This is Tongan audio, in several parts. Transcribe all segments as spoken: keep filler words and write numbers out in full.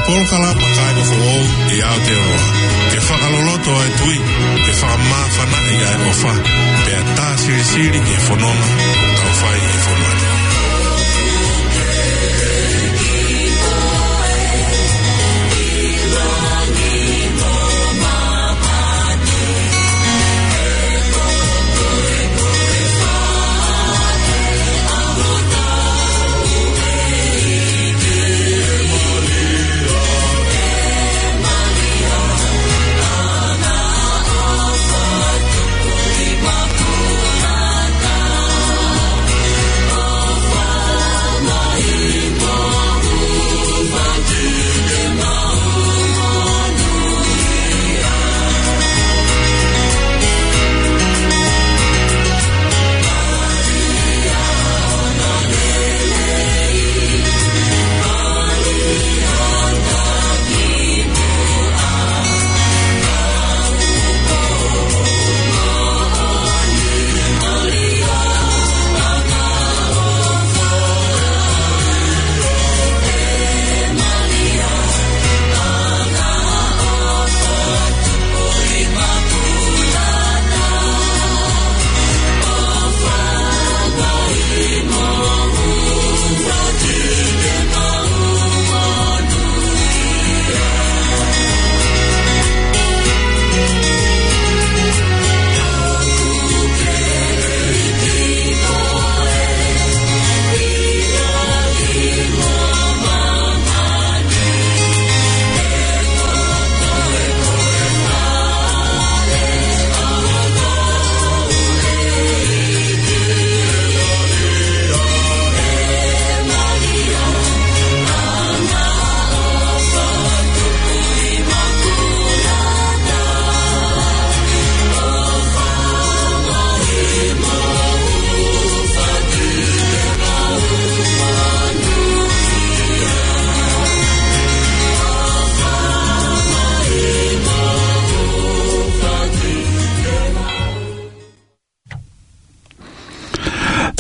Polokalama Kāinga Foʻou ʻi Aotearoa, ke fakaloloto ʻa e tui, ke fakamāfanaʻi ʻa e ʻofa, pea tā silisili ki he fononga ʻoku tau fai ʻi he fonua ni.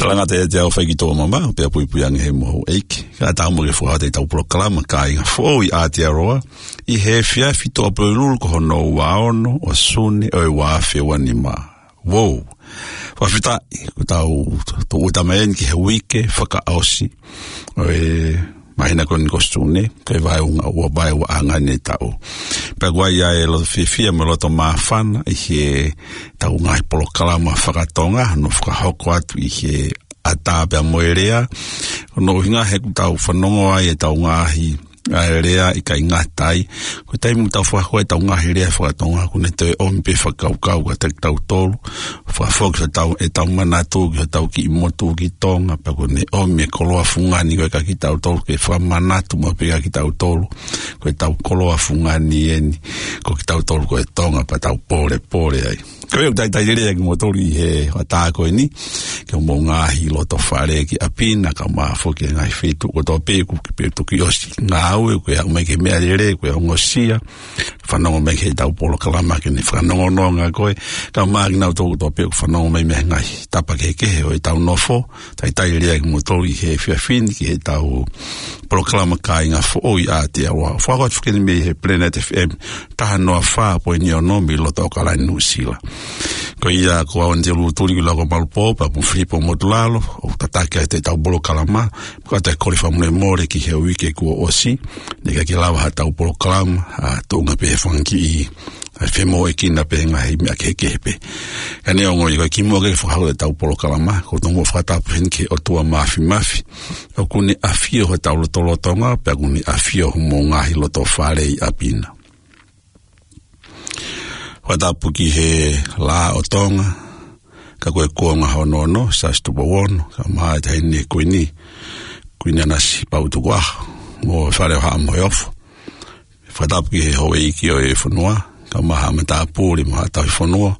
Talangata ʻiate au faikitoa mama, pea puipui ange he mohu ʻeiki. Ka tau mo ke fakahā ʻetau polokalama Kāinga Foʻou ʻi Aotearoa, ʻi he efiafi Tuʻapulelulu ko hono ua ono ʻo Sune ʻo e ua afe ua nima. Wow. Fakafetaʻi, ko ʻetau tuʻuta mai eni ki he uike fakaʻosi ʻo e māhina ko eni ko Sune, ko e vaeua ʻa e, ua vaeua ʻa e ngaahi taʻu. Pea ʻoku ʻi ai ʻa e loto fiefia mo e loto māfana ʻi heʻetau ngaahi polokalama fakatonga, ʻoku fakahoko atu ʻi he ʻatā pea mo e lea. Ko hono ʻuhinga he ʻoku tau fanongo ai ʻetau ngaahi ʻa e lea ʻikai ngata ai. Ko e taimi ʻoku tau fakahoko ai ʻetau ngaahi lea fakatonga, ʻoku ne toe ʻomi pē fakakaukau kiate kitautolu. Fakafoki hotau, ʻetau manatu ki hotau kiʻi motu ki Tonga, pea ʻoku ne ʻomi e koloa fungani ko ē kiate kitautolu, ke fakamanatu maʻu pē kiate kitautolu ko ʻetau koloa fungani eni, ko kitautolu ko e Tonga, pea tau pōlepole ai. Ko ia ʻoku talitali lelei kimoutolu ʻi he ʻatā ko eni, ki homou ngaahi loto fale ki ʻapi na, kae ʻumaʻā foki e ngaahi feituʻu kotoa pē ʻoku ke pē toki ʻosi ngāue, ko e aʻu mai ki he meʻalele, ko e ongosia, fanongo mai ki heʻetau polokalama ke ne fakanongononga koe, kae ʻumaʻā kinautolu kotoa pē ʻoku fanongo mai mei he ngaahi tapa kehekehe ʻo ʻetau nofo, talitali lelei kimoutolu ʻi he efiafi ni ki heʻetau polokalama Kāinga Foʻou ʻi Aotearoa. Fakahoko atu foki eni mei he Planet F M, taha noa fā poini ono mei loto ʻAokalani, Nuʻusila. Ko ia ko au Anite Lutuli Kuilaʻoka Malupō, pea mo Filipo Motulalo, ʻoku tataki ʻetau polokalama, pea ʻoku ou kole fakamolemole ki he uike kuo ʻosi, ne ʻikai ke lava haʻatau polokalama, ʻa, tuʻunga pē he fanga kiʻi, ʻa, femoʻuekina pē he ngaahi meʻa kehekehe pē. Ka neongo ia, ko e kimuʻa ke fakahoko ʻetau polokalama, ʻoku ou tomuʻa fakatapu heni ki he ʻOtua Māfimafi, ʻoku ne ʻafio hotau lotolotonga, pea ʻoku ne ʻafio homou ngaahi loto fale ʻi ʻapi na. Fakatapu ki he Lā ʻo Tonga, ka ko e kuonga hono ono, Siaosi Tupou Ono, kae ʻumaʻā e Taʻahine Kuini, Kuini Nanasipauʻu Tukuʻaho, mo e Fale ʻo Haʻa Moheofo. Fakatapu ki he houʻeiki ʻo e fonua, kae ʻumaʻā haʻa matāpule mo haʻa tauhi fonua.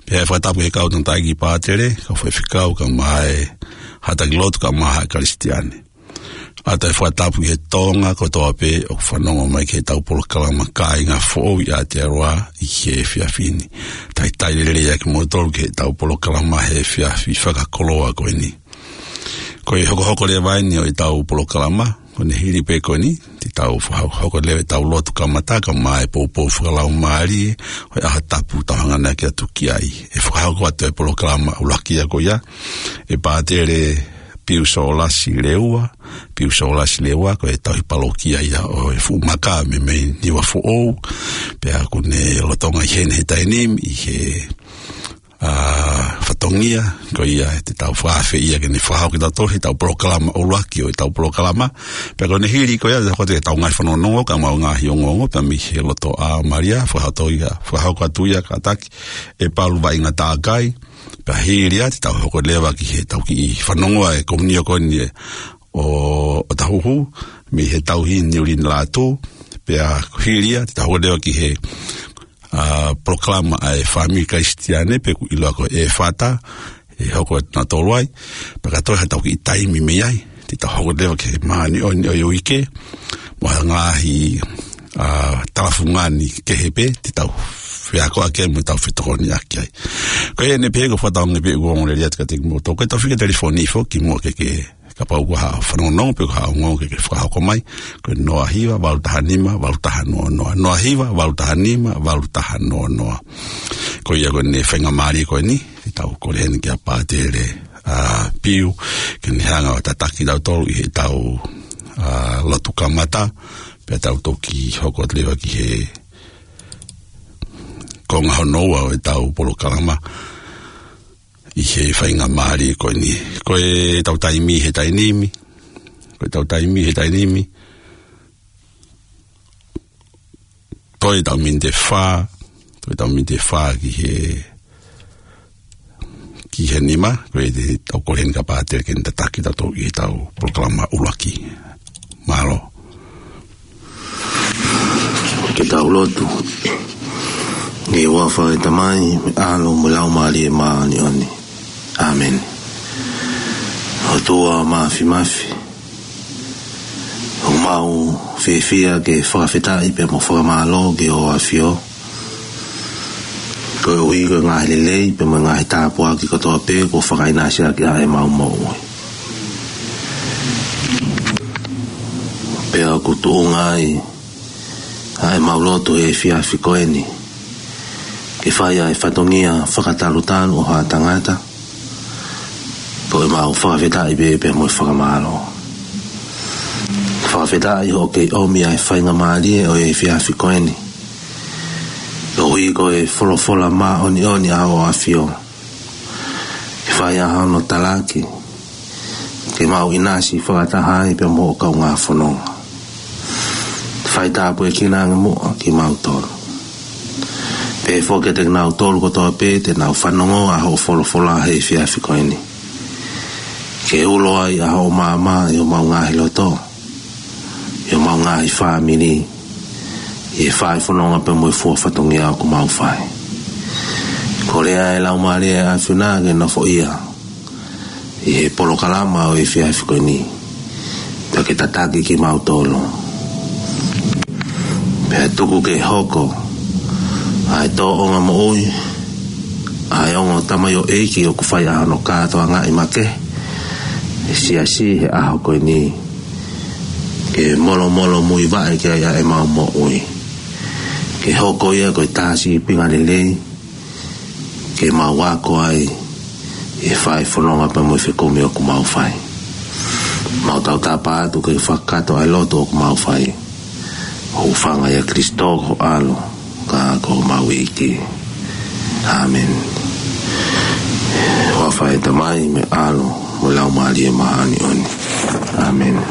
Pea fakatapu ki he kau tangataʻeiki pātele, kau faifekau, kae ʻumaʻā e haʻa taki lotu, kae ʻumaʻā haʻa Kalisitiane. ʻOatu e fakatapu ki he Tonga kotoa pē ʻoku fanongo mai ki heʻetau polokalama Kāinga Foʻou ʻi Aotearoa ʻi he efiafi ni. Talitali lelei kimoutolu ki heʻetau polokalama he efiafi fakakoloa ko eni. Ko e hokohoko leva eni ʻo ʻetau polokalama, Ko ʻene hili pē ko eni, te tau fakahoko leva ʻetau lotu kamata, kae ʻumaʻā e poupou fakalaumālie ʻo e ʻaho tapu ʻoku tau hanga ʻaki atu ki ai. ʻE fakahoko atu e polokalama ʻuluaki ia ko ia ʻe Pātele Piu Sōlasi Leua, Piu Sōlasi Leua, ko e tauhi palokia ia ʻo e Fuʻu Maka mei, mei Niuafoʻou, pea ʻoku ne lolotonga ʻi heni he taimi ni, ʻi he ʻa, fatongia, ko ia te tau fakaafe ia ke ne fakahoko kitautolu heʻetau polokalama ʻuluaki ʻo ʻetau polokalama. Pea ko ʻene hili ko ia, te hoko atu ʻetau ngaahi fanongonongo, kae ʻumaʻā e ngaahi ongoongo, pea mei he loto ʻa Malia, fakahoko ia, fakahoko atu ia kātaki ʻe Palu Vaʻinga Takai. Pea hili ia, te tau hoko leva ki heʻetau kiʻi fanongo ʻa e komiunitī ko eni ʻo, ʻo Tahuhu, mei he tauhi Niulini Lātū. Pea hili ia, te tau hoko leva ki he ʻa, polokalama ʻa e fāmili Kalisitiane pe ʻoku ʻiloa ko e ʻEfata, ʻe hoko atu ʻa Toluai, pea ka toe haʻatau kiʻi taimi mei ai, te tau hoko leva ki he māʻoniʻoni ʻo e uike, mo ha ngaahi, ʻa, talafungani kehe pē, te tau feakoʻaki ai mo tau fetokoniʻaki ai. Ko ia ʻeni pē ko e fakatauange pē ʻoku ou ongoongolelei atu kiate kimoutolu, ko ʻetau fika telefoni foki mo ke ke kapau ʻoku ʻi ai ha fanongonongo pe ko ha ongoongo ke ke fakahoko mai, ko e noa hiva valu taha nima valu taha noa noa, noa hiva valu taha nima valu taha noa noa. Ko ia ko ʻene faingamālie ko eni, te tau kole heni kia Pātele, ʻa, Piu, ke ne hanga ʻo tataki kitautolu ʻi heʻetau, ʻa, lotu kamata, pea tau toki hoko atu leva ki he konga hono ua ʻo ʻetau polokalama ʻi he faingamālie ko eni. Ko ʻetau taimi he taimi ni, ko ʻetau taimi he taimi ni, toe ʻetau miniti ʻe fā, toe ʻetau miniti ʻe fā ki he, ki he nima, ko ia te tau kole heni kia Pātele ke ne tataki kitautolu ʻi heʻetau polokalama ʻuluaki. Mālō. Ke tau lotu. ʻI he huafa ʻo e Tamai, mo e ʻAlo, mo e Laumālie Māʻoniʻoni. ʻĀmeni. ʻOtua Māfimafi, ʻoku mau fiefia ke fakafetaʻi pea mo fakamālō ki hoʻo ʻAfio, koeʻuhi ko e ngaahi lelei pea mo e ngaahi tāpuaki kotoa pē kuo fakaʻinasi ʻaki ʻa ʻemau moʻui. Pea ʻoku tuʻunga ai ʻa ʻemau lotu he efiafi ko eni, ke fai ʻa e fatongia fakatalutalu ʻo ha tangata, ko ʻemau fakafetaʻi pē pea mo e fakamālō. Fakafetaʻi hoʻo kei ʻomi ʻa e faingamālie ʻo e efiafi ko eni, koeʻuhi ko e folofola māʻoniʻoni ʻa hoʻo ʻAfio, ke fai ʻa hono talaki, ke mau ʻinasi fakataha ai pea mo hoʻo kaungā fononga. Fai tāpuekina ange muʻa kimautolu. Pehē foki kiate kinautolu kotoa pē te nau fanongo ʻa hoʻo folofola he efiafi ko eni, ke ulo ai ʻa hoʻo maama ʻi homau ngaahi loto, ʻi homau ngaahi fāmili, ʻi he fai fononga pea mo e fua fatongia ʻoku mau fai. Kole ʻa e Laumālie ʻa e ʻAfiona ke nofoʻia ʻi he polokalama ʻo e efiafi ko eni, pea ke tataki kimautolu. Pea tuku ke hoko ʻa e tōʻonga moʻui ʻa e ongo tamaioʻeiki ʻoku fai ʻa hono kātoangaʻi makehe ʻa e siasi he ʻaho ko eni, ke molomolomuivaʻe ki ai ʻa ʻemau moʻui, ke hoko ia ko e tā sīpinga lelei ke mau ako ai ʻi he fai fononga pea mo e fekumi ʻoku mau fai. Mau tautapa atu ke fakakakato ʻa e lotu ʻoku mau fai, ʻo hūfanga ʻia Kalaisi ko ho ʻAlo, ka ko homau ʻEiki. ʻĀmeni. Huafa ʻo e Tamai, mo e ʻAlo, mo e Laumālie Māʻoniʻoni. ʻĀmeni.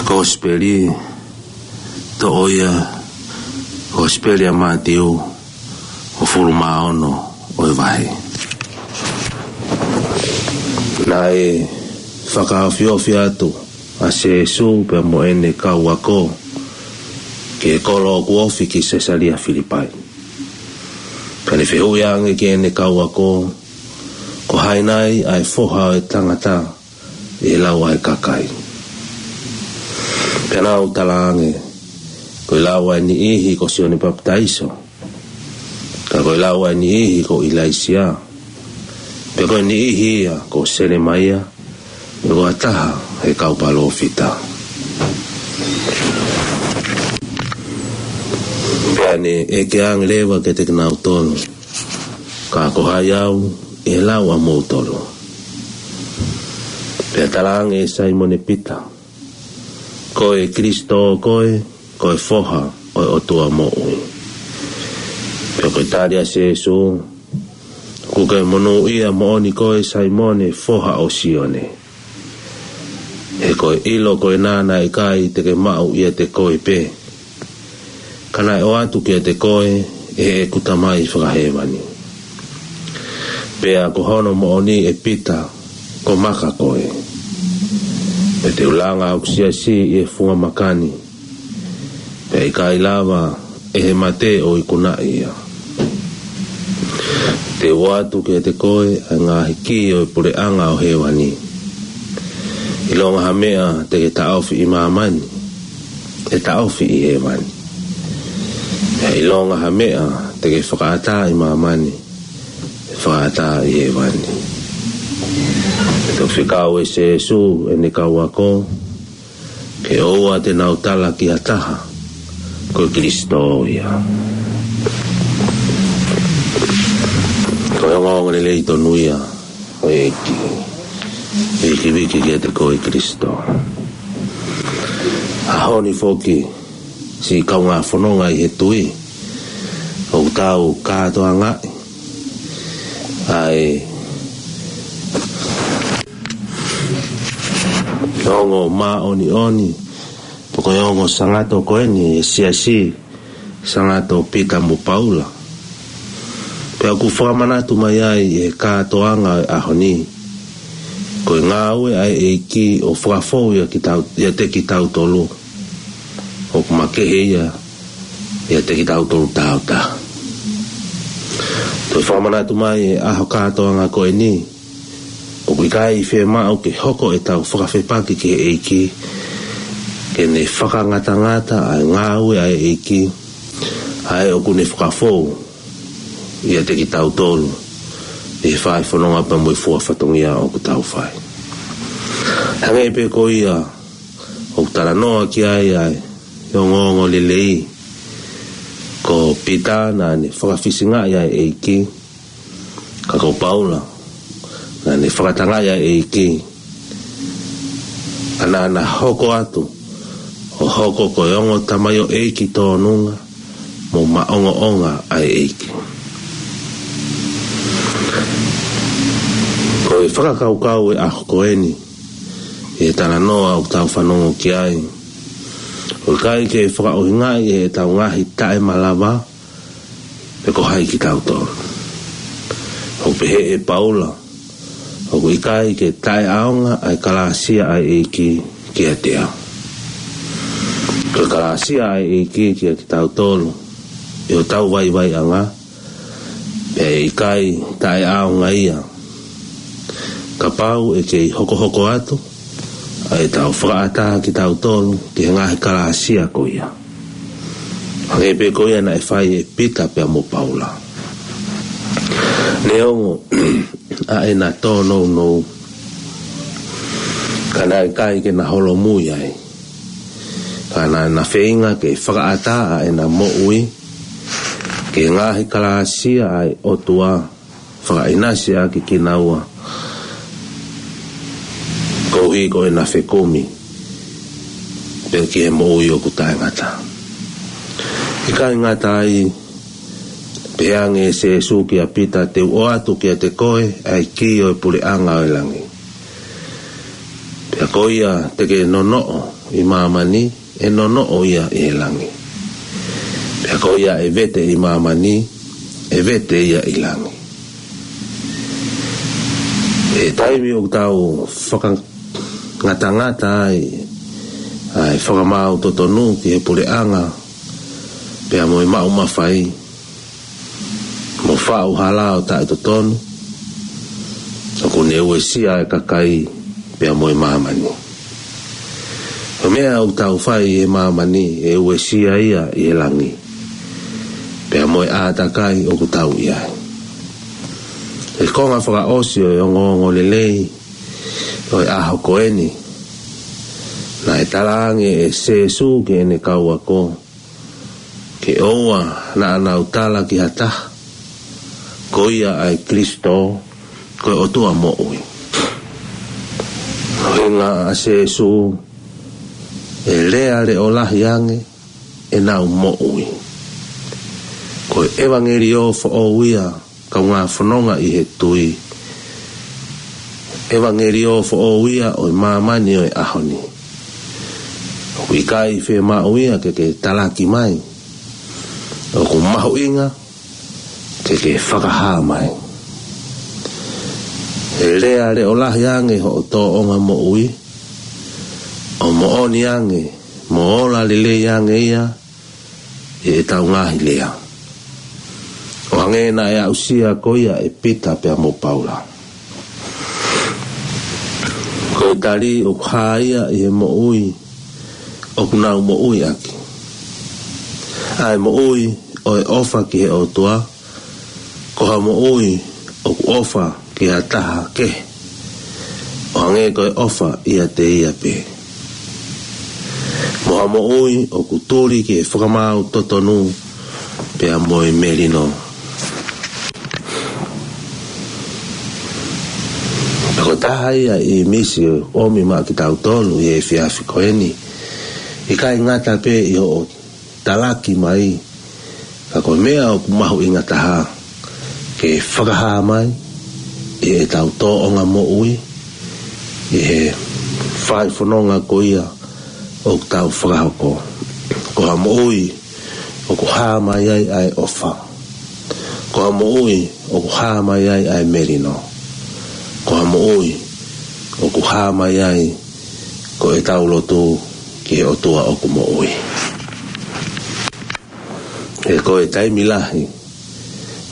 Kosipeli, toʻo ia, Kosipeli ʻa Mātiu, hongofulu mā ono ʻo e vahe. Naʻe fakaofiofi atu ʻa Sīsū pea mo ʻene kau ako ki he kolo ʻoku ofi ki Sesalia Filipai. Pea ne fehuʻi ange ki heʻene kau ako, Ko hai nai ʻa e Foha ʻo e Tangata ʻi he lau ʻa e kakai? Pea nau talaange, Ko e lau ʻa e niʻihi ko Sione Papitaiso, ka ko e lau ʻa e niʻihi ko ʻIlaisiā, pea ko e niʻihi ia ko Selemaia, ua taha he kau palōfita. Pea ne ʻeke ange leva kiate kinautolu, Ka ko hai au ʻe lau ʻamoutolu? Pea talaange ʻe Saimone Pita, Ko e Kilisitō koe, ko e Foha ʻo e ʻOtua moʻui. Pea ko e tali ʻa Sēsū, ʻOku ke monūʻia moʻoni koe Saimone, foha ʻo Sione. He ko e ʻilo ko ena naʻe ʻikai te ke maʻu ʻiate koe pē, ka naʻe ʻoatu kiate koe ʻe heʻeku Tamai fakahēvani. Pea ko hono moʻoni ʻe Pita, ko maka koe. Pea te u langa hoku siasi ʻi he funga maka ni, pea ʻe ʻikai lava ʻe he mate ʻo ikunaʻi ia. Te u ʻoatu kiate koe ʻa e ngaahi kī ʻo e puleʻanga ʻo hēvani. ʻIlonga ha meʻa te ke taʻofi ʻi māmani, ʻe taʻofi ʻi hēvani. Pea ʻilonga ha meʻa te ke fakaʻatā ʻi māmani, ʻe fakaʻatā ʻi hēvani. Pea toki fekau ʻe Sēsū ʻene kau ako, Ke ʻoua te nau tala ki ha taha, Ko e Kilisitō ia. Ko e ongoongolelei tonu ia ʻo e ʻEiki, ʻEiki viki kiate koe Kilisitō. ʻAho ni foki, siʻi kaungā fononga ʻi he tui, ʻoku tau kātoangaʻi ʻa e ongo māʻoniʻoni, pe ko e ongo sangato ko eni ʻa e siasi sangato Pita mo Paula. Pea ʻoku fakamanatu mai ai ʻe he kātoanga ʻo e ʻaho ni, ko e ngāue ʻa e ʻEiki ʻo fakafou ia kitau-, ʻiate kitautolu, ʻoku makehe ia ʻiate kitautolu tautaha. Toe fakamanatu mai ʻe he ʻaho kātoanga ko eni, ʻoku ʻikai fiemaʻu ke hoko ʻetau fakafepaki ki he ʻEiki, ke ne fakangatangata ʻa e ngāue ʻa e ʻEiki, ʻa ē ʻoku ne fakafou ʻiate kitautolu ʻi he fai fononga pea mo e fua fatongia ʻoku tau fai. Hangē pē ko ia ʻoku talanoa ki ai ʻa e ongoongolelei, ko Pita naʻa ne fakafisingaʻi ʻa e ʻEiki, ka ko Paula naʻa ne fakatangaʻi ʻa e ʻEiki, ka naʻa na hoko atu ʻo hoko ko e ongo tamaioʻeiki tōnunga mo maʻongoʻonga ʻa e ʻEiki. Ko e fakakaukau ʻo e ʻaho ko eni, ʻi he talanoa ʻoku tau fanongo ki ai, ʻoku ʻikai ke fakaʻuhingaʻi ʻe heʻetau ngaahi taʻemalava pe ko hai kitautolu. ʻOku pehē ʻe Paula, ʻOku ʻikai ke taʻeʻaonga ʻa e kalāsia ʻa e ʻEiki kiate au. Ko e kalāsia ʻa e ʻEiki kiate kitautolu ʻi hotau vaivaiʻanga, pea ʻe ʻikai taʻeʻaonga ia kapau ʻe kei hokohoko atu ʻa ʻetau fakaʻatā kitautolu ki he ngaahi kalāsia ko ia, hangē pē ko ia naʻe fai ʻe Pita pea mo Paula. Neongo ʻa ʻena tōnounou, ka naʻe ʻikai ke na holomui ai, ka naʻa na feinga ke fakaʻatā ʻa ʻena moʻui ki he ngaahi kalāsia ʻa e ʻOtua, fakaʻinasi ʻaki kinaua koeʻuhi ko ʻena fekumi pea ki he moʻui ʻoku taʻengata. ʻIkai ngata ai, pehē ange ʻe Sēsū kia Pita, Te u ʻoatu kiate koe ʻa e kī ʻo e puleʻanga ʻo e langi. Pea ko ia te ke nonoʻo ʻi māmani, ʻe nonoʻo ia ʻi he langi. Pea ko ia ʻe vete ʻi māmani, ʻe vete ia ʻi langi. ʻI he taimi ʻoku tau fakangatangata ai ʻa e fakamaau totonu ki he puleʻanga, pea mo e maʻu mafai, mo faʻu hala ʻo taʻetotonu, ʻoku ne uesia e kakai pea mo e māmani. Ko e meʻa ʻoku tau fai ʻi he māmani ʻe uesia ia ʻi he langi, pea mo e ʻātakai ʻoku tau ʻi ai. ʻI he konga fakaʻosi ʻo e ongoongolelei, ʻo e ʻaho ko eni, naʻe talaange ʻe Sēsū ki heʻene kau ako, ke ʻoua naʻa nau tala ki ha taha, ko ia ʻa e Kilisitō, ko e ʻOtua moʻui. ʻUhinga ʻa Sēsū, ʻe lea leʻo lahi ange, ʻenau moʻui. Ko e ʻevangeliō foʻou ia, kaungā fononga ʻi he tui. ʻEvangeliō foʻou ia ʻo e māmani ʻo e ʻaho ni. ʻOku ʻikai fiemaʻu ia ke ke talaki mai. ʻOku mahuʻinga ke ke fakahā mai. ʻE lea leʻo lahi ange hoʻo tōʻonga moʻui, ʻo moʻoni ange, mo ola lelei ange ia, ʻi heʻetau ngaahi lea. ʻO hangē naʻe aʻusia ko ia ʻe Pita pea mo Paula. Ko e tali ʻoku hā ia ʻi he moʻui ʻoku nau moʻui ʻaki. ʻA e moʻui ʻo e ʻofa ki he ʻOtua, ko ha moʻui ʻoku ʻofa ki ha taha kehe, ʻo hangē ko e ʻofa ʻiate ia pē. Mo ha moʻui ʻoku tuli ki he fakamaau totonu pea mo e melino. Ko e taha ia ʻi he misi ʻoku ʻomi maʻa kitautolu ʻi he efiafi ko eni. ʻIkai ngata pē ʻi hoʻo talaki mai, ka ko e meʻa ʻoku mahuʻinga taha, ke fakahā mai ʻi heʻetau tōʻonga moʻui, ʻi he fai fononga ko ia ʻoku tau fakahoko. Ko ha moʻui ʻoku hā mai ai ʻa e ʻofa. Ko ha moʻui ʻoku hā mai ai ʻa e melino. Ko ha moʻui ʻoku hā mai ai ko ʻetau lotu ki he ʻOtua ʻoku moʻui. He ko e taimi lahi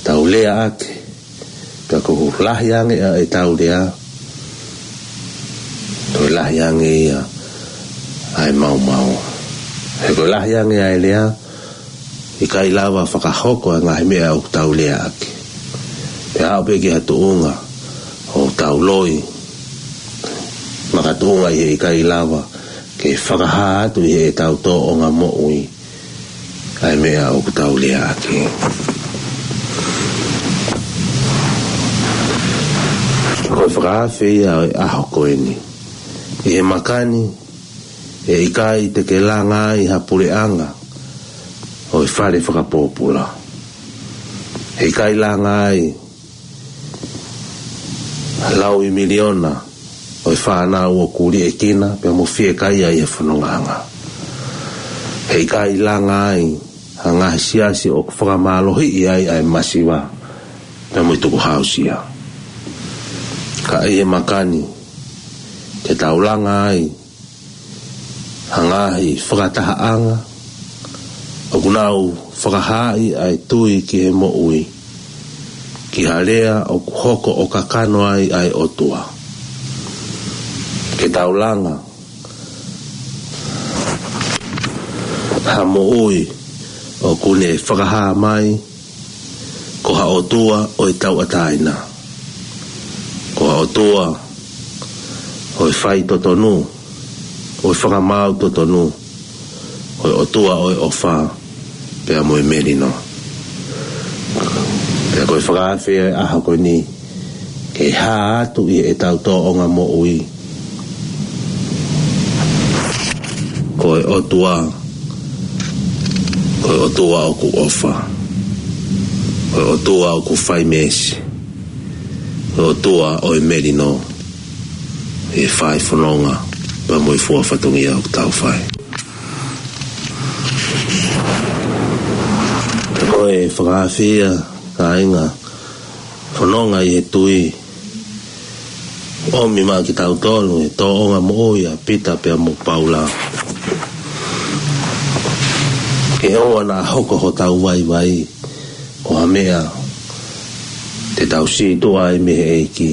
tau lea ʻaki, pea ko e lahi ange ʻa ʻetau lea, ko e lahi ange ia ʻa e maumau. He ko e lahi ange ʻa e lea, ʻikai lava fakahoko ʻa e ngaahi meʻa ʻoku tau lea ʻaki. Pea aʻu pē ki ha tuʻunga ʻoku tau loi, makatuʻunga ʻi he ʻikai lava ke fakahā atu ʻi heʻetau tōʻonga moʻui ʻa e meʻa ʻoku tau lea ʻaki. Ko e fakaafe ia ʻo e ʻaho ko eni. ʻI he makani, ʻe ʻikai te ke langa ai ha puleʻanga ʻo e fale fakapōpula. ʻE ʻikai langa ai ha laui miliona ʻo e fānau ʻoku liʻekina pea mo fiekaia ʻi he fonongaʻanga. ʻE ʻikai langa ai ha ngaahi siasi ʻoku fakamālohiʻi ai ʻa e masiva pea mo e tukuhāusia. Ka ʻi he makani, ke tau langa ai ha ngaahi fakatahaʻanga ʻoku nau fakahaaʻi ʻa e tui ki he moʻui, ki ha lea ʻoku hoko ʻo kakano ai ʻa e ʻOtua. Ke tau langa ha moʻui ʻoku ne fakahā mai ko ha ʻOtua ʻo e tauʻatāina, ko ha ʻOtua ʻo e fai totonu, ʻo e fakamaau totonu, ko e ʻOtua ʻo e ʻofa pea mo e melino. Pea ko e fakaafe ʻo e ʻaho ko eni, ke hā atu ʻi heʻetau tōʻonga moʻui, ko e ʻOtua, ko e ʻOtua ʻoku ʻofa, ko e ʻOtua ʻoku fai meesi, ko e ʻOtua ʻo e melino, ʻi he fai fononga pea mo e fua fatongia ʻoku tau fai. Ko e fakaafe ia, kāinga fononga ʻi he tui, ʻomi maʻa kitautolu ʻi he tōʻonga moʻui ʻa Pita pea mo Paula. Ke ʻoua naʻa hoko hotau vaivai ko ha meʻa te tau sītuʻa ai mei he ʻEiki,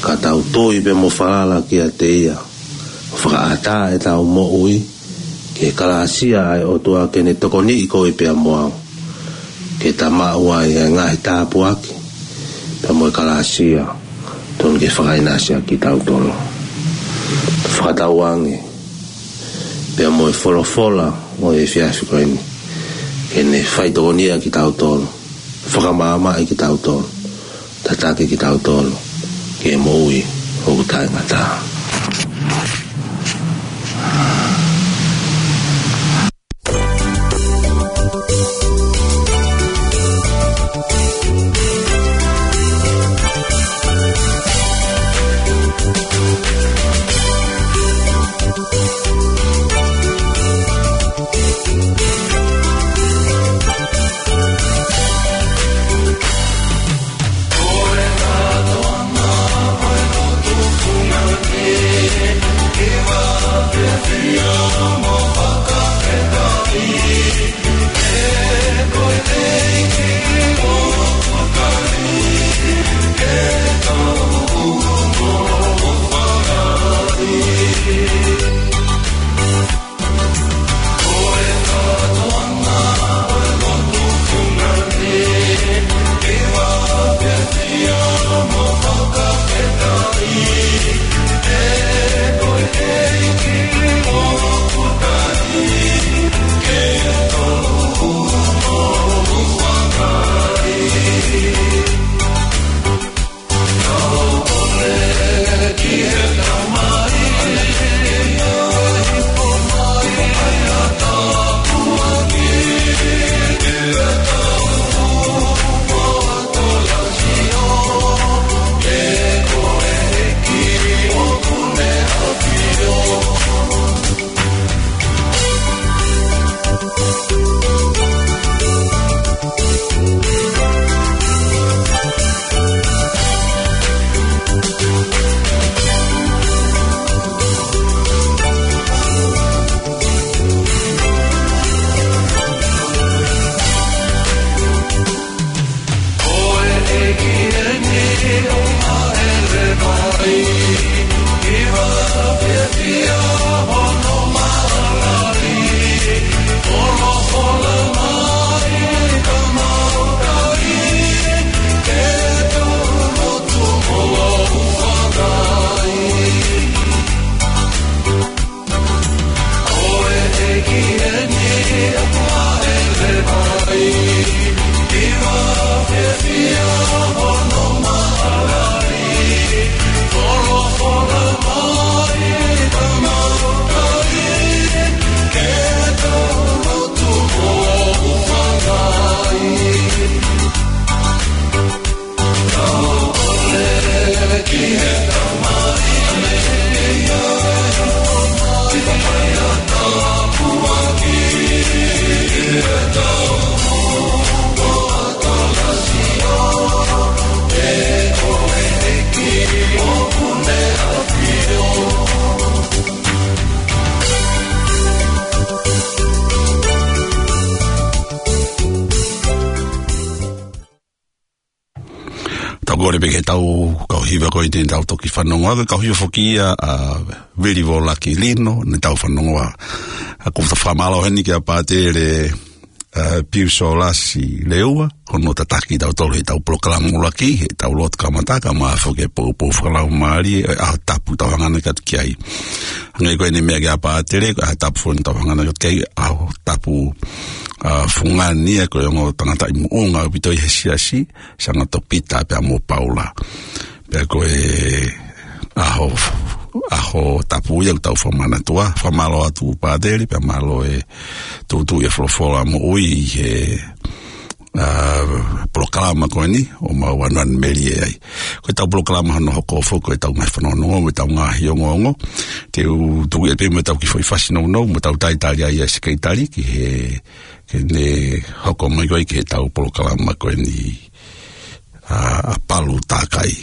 ka tau tui pea mo falala kiate ia, ʻo fakaʻatā ʻetau moʻui ki he kalāsia ʻa e ʻOtua, ke ne tokoniʻi koe pea mo au, ke ta maʻu ai ʻa e ngaahi tāpuaki pea mo e kalāsia tonu ke fakaʻinasi ʻa kitautolu. Fakatauange pea mo e folofola ʻo e efiafi ko eni, ke ne faitokonia kitautolu, fakamaʻamaʻa kitautolu, tataki kitautolu ki he moʻui ʻoku taʻengata. Tau kole pē ke tau kau hiva ko eni tau toki fanongo. Ko e kau hiva foki ia ʻa Vili Volaki Lino, ne tau fanongo. ʻA, ʻoku ou fakamālō heni kia Pātele, ʻa, Piu Solasi Leua, hono tataki tautolu he tau polokalama ʻuluaki, he tau lotu kamata, kae ʻumaʻā foki e poupou fakalaumālie, ʻa e ʻaho tapu tau hangana ki ai. Hangē ko eni meʻa kia Pātele, ko e ʻaho tapu foki tau hangana ki ai, ʻaho tapu, ʻa, fungani ia ko e ongo tangata ʻi muʻunga ʻaupito ʻi he siasi, Sangato Pita pea mo Paula. Pea ko e ʻaho, ʻaho tapu ia ʻoku tau fakamanatua, fakamālō atu Pātele, pea mālō e tuʻutuʻu e folofola moʻui ʻi he, ʻa, polokalama ko eni, ʻoku mau ʻanuʻanumelie ai. Ko e tau polokalama hono hoko foki, ko e tau ngaahi fanongonongo, ko e tau ngaahi ongoongo. Te u tuku atu pē mo e tau kiʻi foʻi fasi nounou, mo e tau talitali ai ʻa e sekelitali ki he, ke ne hoko mai ko ē ki he tau polokalama ko eni. ʻA, ʻa Palu Takai.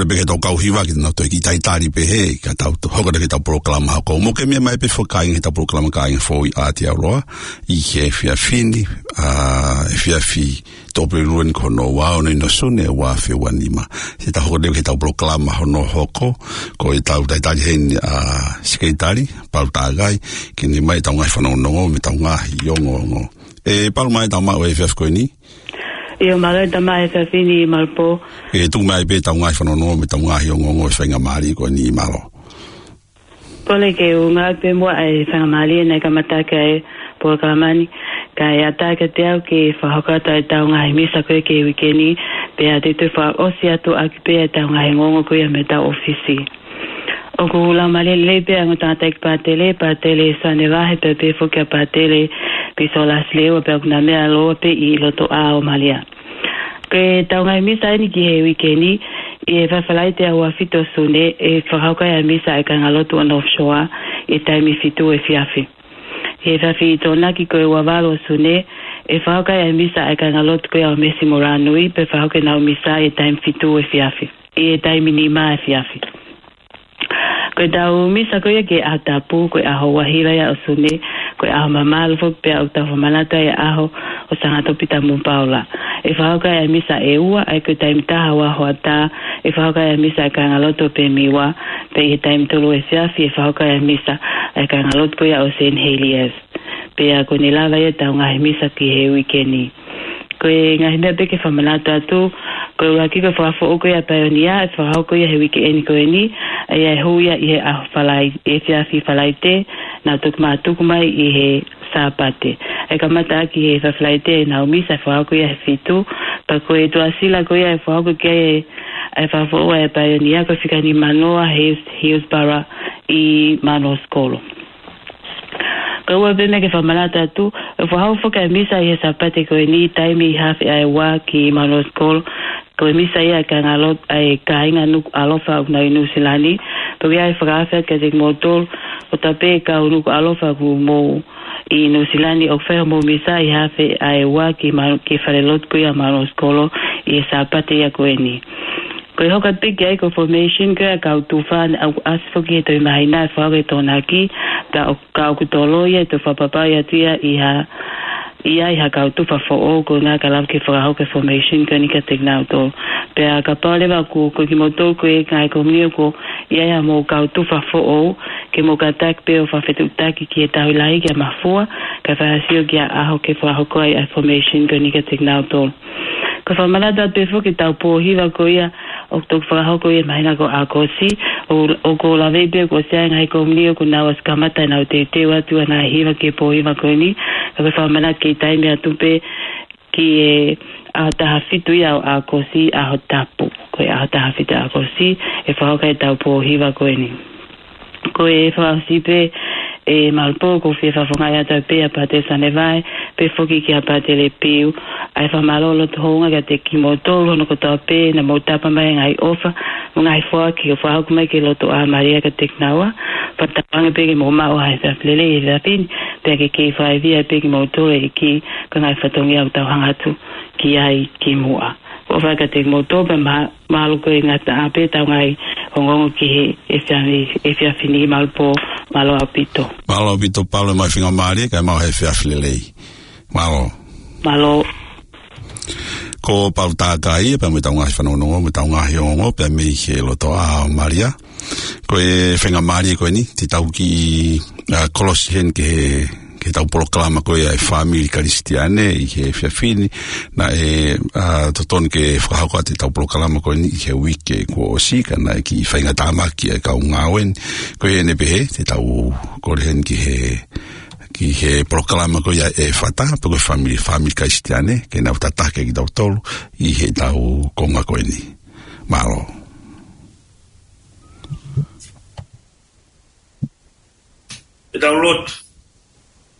Pea ke tau kau hiva ke nau toe kiʻi talitali pē he, ka tau to-, hoko atu ki heʻetau polokalama hoko. Mou ke meʻa mai pē foki kāinga ki heʻetau polokalama Kāinga Foʻou ʻi Aotearoa, ʻi he efiafi ni, ʻa, efiafi Tuʻapulelulu ni ko hono ua ono ʻi Sune, ua afe ua nima. Te tau hoko atu ki heʻetau polokalama hono hoko, ko ʻetau talitali heni, ʻa, Sekelitali Palu Takai, ke ne ʻomai ʻetau ngaahi fanongonongo mo ʻetau ngaahi ongoongo. ʻE Palu, mālō e tau maʻu e efiafi ko eni. ʻIo, mālō e tau maʻu e efiafi ni Malupō. ʻE tuku mai pē ʻetau ngaahi fanongonongo mo ʻetau ngaahi ongoongo e faingamālie ko eni, mālō. Kole ke u ngāueʻaki pē muʻa e faingamālie naʻe kamata ʻaki e polokalama ni, kae ʻatā kiate au ke fakahoko atu ʻetau ngaahi misa ko ē ki he uike ni, pea te u toe fakaʻosi atu ʻaki pē ʻetau ngaahi ongoongo ko ia mei heʻetau ʻōfisi. ʻOku laumālie lelei pē ʻa e ongo tangataʻeiki pātele, Pātele Soane Vahe, pea pehē foki kia Pātele Pisolasi Leua, pea ʻoku nau meʻa lōua pē ʻi loto ʻā ʻo Malia. Ko ʻetau ngaahi misa eni ki he uike ni, ʻi he efiafi Falaite ʻaho ua fitu ʻo Sune, ʻe fakahoko ai ʻa e misa ʻa e kāingalotu ʻo North Shore, ʻi he taimi fitu efiafi. ʻI he efiafi Tokonaki ko e ua valu ʻo Sune, ʻe fakahoko ai ʻa e misa ʻa e kāingalotu ko ia ʻo Mesi Molanui, pea fakahoko ʻenau misa ʻi he taimi fitu efiafi, ʻi he taimi nima efiafi. Ko ʻetau misa ko ia ki he ʻaho tapu, ko e ʻaho ua hiva ia ʻo Sune, ko e ʻaho mamalu foki pea ʻoku tau fakamanatu ai e ʻaho ʻo Sangatopi Tamu Paula. ʻE fakahoko ai ʻa e misa ʻe ua, ʻa ia ko e taimi taha ua hoʻatā, ʻe fakahoko ai ʻa e misa ʻa e kāingalotu ʻo Pemiwa, pea ʻi he taimi tolu efiafi, ʻe fakahoko ai ʻa e misa ʻa e kāingalotu ko ia ʻo Saint Heliers. Pea ko ʻene lava ia ʻetau ngaahi misa ki he uike ni. Ko e ngaahi meʻa pē ke fakamanatu atu, ko e ʻuluaki ko e fakafoʻou ko ia ʻa e paionia, ʻe fakahoko ia he uike eni ko eni, ʻa ia ʻe hū ia ʻi he ʻaho Falai-, efiafi Falaite, nau toki mātuku mai ʻi he Sāpate. ʻE kamata ʻaki he efiafi Falaite ʻenau misa ʻe fakahoko ia he fitu, pea ko e tuʻasila ko ia ʻe fakahoko ki ai e, e fakafoʻou ʻa e paionia ko e fika nimanoa Hills, Hillsborough ʻi Manuosikolo. Ko e ua pē meʻa ke fakamanatu atu, ʻe fakahoko foki ʻa e misa ʻi he Sāpate ko eni taimi ʻi he afe ʻa e ua ki Manuosikolo. Ko e misa ia ʻa e kāingalotu ʻa e kāinga Nukuʻalofa ʻoku nau ʻi Nuʻusila ni. Pea ʻoku ʻi ai e fakaafe kiate kimoutolu, ʻo tapu pē kau Nukuʻalofa ʻoku mou ʻi Nuʻusila ni, ʻoku fai hoʻomou misa ʻi he afe ʻa e ua ki Manu-, ki he falelotu ko ia Manuosikolo ʻi he Sāpate ia ko eni. Ko e hoko atu pē ki ai ko e formation ko ia ʻa e kau tufa, ʻoku ʻasi foki he Toe Māhina ʻe fakahoko he Tokonaki, ka ʻo, ka ʻoku toloi ʻa e toe fakapapauʻi atu ia ʻi ha, ʻi ai ha kau tufa foʻou, ko e ʻuhinga ka lava ke fakahoko e formation ko eni kiate kinautolu. Pea kapau leva ʻoku, ko kimoutolu ko e ngaahi komiti ʻoku ʻi ai haʻamou kau tufa foʻou, ke mou kātaki pē ʻo fakafetuʻutaki ki he tauhi lahi kia Mafua, kae fai ha sio ki ha ʻaho ke fakahoko ai ʻa e formation ko eni kiate kinautolu. Ko e fakamanatu atu pē foki ʻetau pō hiva ko ia ʻoku toki fakahoko ia he māhina ko ʻAokosi, ʻo, ʻoku ou laveʻi pē kuo ʻosi ʻi ai e ngaahi komiti ʻoku nau ʻosi kamata ʻenau teuteu atu ʻenau ngaahi hiva ki he pō hiva ko eni, ka ko e fakamanatu ke taimi atu pē ki he ʻaho taha fitu ia ʻo ʻAokosi, ʻaho tapu. Ko e ʻaho taha fitu ʻAokosi, ʻe fakahoko ai ʻetau pō hiva ko eni. Ko e fakaʻosi pē, ʻe Malupō, ʻoku ou fie fakafofongaʻi atu pē ʻa Pātele Soane Vahe, pehē foki kia Pātele Piu, ʻa e fakamālō loto houngaʻia kiate kimoutolu hono kotoa pē naʻa mou tapa mai e ngaahi ʻofa, mo e ngaahi foaki ʻoku fakahoko mai ki loto ʻā Malia kiate kinaua, pea tauange pē ke mou maʻu ha efiafi lelei he efiafi ni, pea ke kei fakaivia pē kimoutolu ʻe he ʻEiki, ko e ngaahi fatongia ʻoku tau hanga atu ki ai kimuʻa. ʻOfa kiate kimoutolu pea mā-, mālō ko e ngataʻanga pē ʻetau ngaahi ongoongo ki he efiafi, efiafi ni Malupō, mālō ʻaupito. Mālō ʻaupito Palu, ʻomai e faingamālie, kae maʻu ha efiafi lelei. Mālō. Mālō. Ko Palu Takai ia pea mo ʻetau ngaahi fanongonongo, mo ʻetau ngaahi ongoongo, pea mei he loto ʻā ʻo Malia. Ko e faingamālie ko eni, te tau kiʻi, ʻa, kolosi heni ki he, ki heʻetau polokalama ko ia ʻa e fāmili Kalisitiane ʻi he efiafi ni, naʻe, ʻa, totonu ke fakahoko atu ʻetau polokalama ko eni ʻi he uike kuo ʻosi, ka naʻe kiʻi faingataʻa mai ʻa e kau ngāue ni. Ko ia ʻoku pehē, te tau kole heni ki he, ki he polokalama ko ia ʻa e Fata, pe ko e fāmili, fāmili Kalisitiane, ke nau tataki kitautolu ʻi heʻetau konga ko eni. Mālō. Ke tau lotu.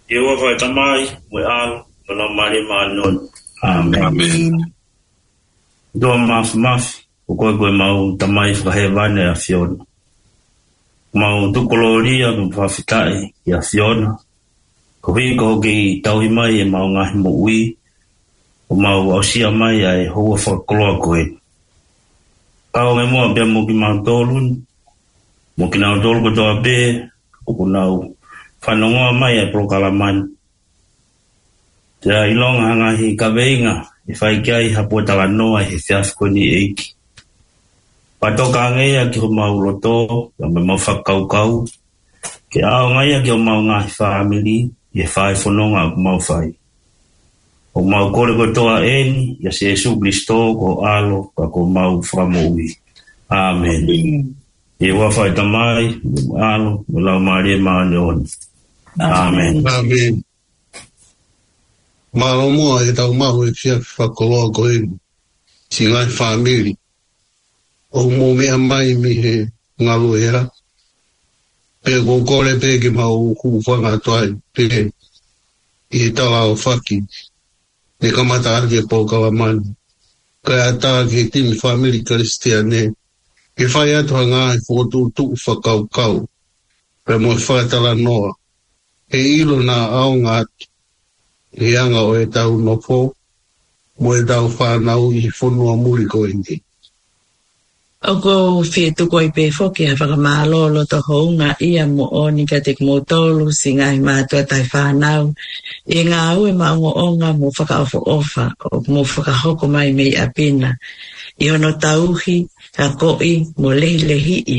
ʻIo, ʻofa ʻa e Tamai, mo e ʻAlo, mo e Laumālie Māʻoniʻoni. ʻĀmeni. ʻEiki māfimafi, ko koe ko ʻemau Tamai fakahēvani ʻa e ʻAfiona. Mau tuku kolōlia mo fakafetaʻi ki he ʻAfiona. Koeʻuhi ko hoʻo kei tauhi mai ʻemau ngaahi moʻui, ʻo mau aʻusia mai ʻa e houa fakakoloa ko eni. Fakakaukau ange muʻa pea mo kimautolu ni, mo kinautolu kotoa pē ʻoku nau fanongoa mai ʻa e polokalama ni. Pea ʻilonga ha ngaahi kaveinga ʻe fai ki ai ha pōtalanoa he efiafi ko eni, ʻEiki, fakatokangaʻi ia ki homau loto, pea mo ʻemau fakakaukau, ke ʻaonga ia ki homau ngaahi fāmili, ʻi he fai fononga ʻoku mau fai. ʻOku mau kole kotoa eni ʻia Sīsū Kalaisi ko ho ʻAlo, ka ko homau Fakamoʻui. ʻĀmeni. ʻI he huafa ʻo e Tamai, mo e ʻAlo, mo e Laumālie Māʻoniʻoni. ʻĀmeni. ʻĀmeni. Mālō muʻa ʻetau maʻu e efiafi fakakoloa ko eni, siʻi ngaahi fāmili ʻoku mou meʻa mai mei he ngaluʻea. Pea ʻoku ou kole pē ke mau hūfanga atu ai pē ʻi he tala ʻo faki, ne kamata ʻaki e polokalama ni, kae ʻatā ki he timi fāmili Kalisitiane ke fai atu ha ngaahi fokotuʻutuʻu fakakaukau pea mo e fakatalanoa, ʻe ʻilo naʻa ʻaonga atu he anga ʻo ʻetau nofo mo ʻetau fānau ʻi he fonua muli ko eni. ʻOku ou fie tuku ai pē foki ha fakamālō loto houngaʻia moʻoni kiate kimoutolu siʻi ngaahi mātuʻa taʻefānau, ʻi he ngāue maʻongoʻonga mo fakaʻofoʻofa ʻoku mou fakahoko mai mei ʻapi na, ʻi hono tauhi, akoʻi mo lehilehiʻi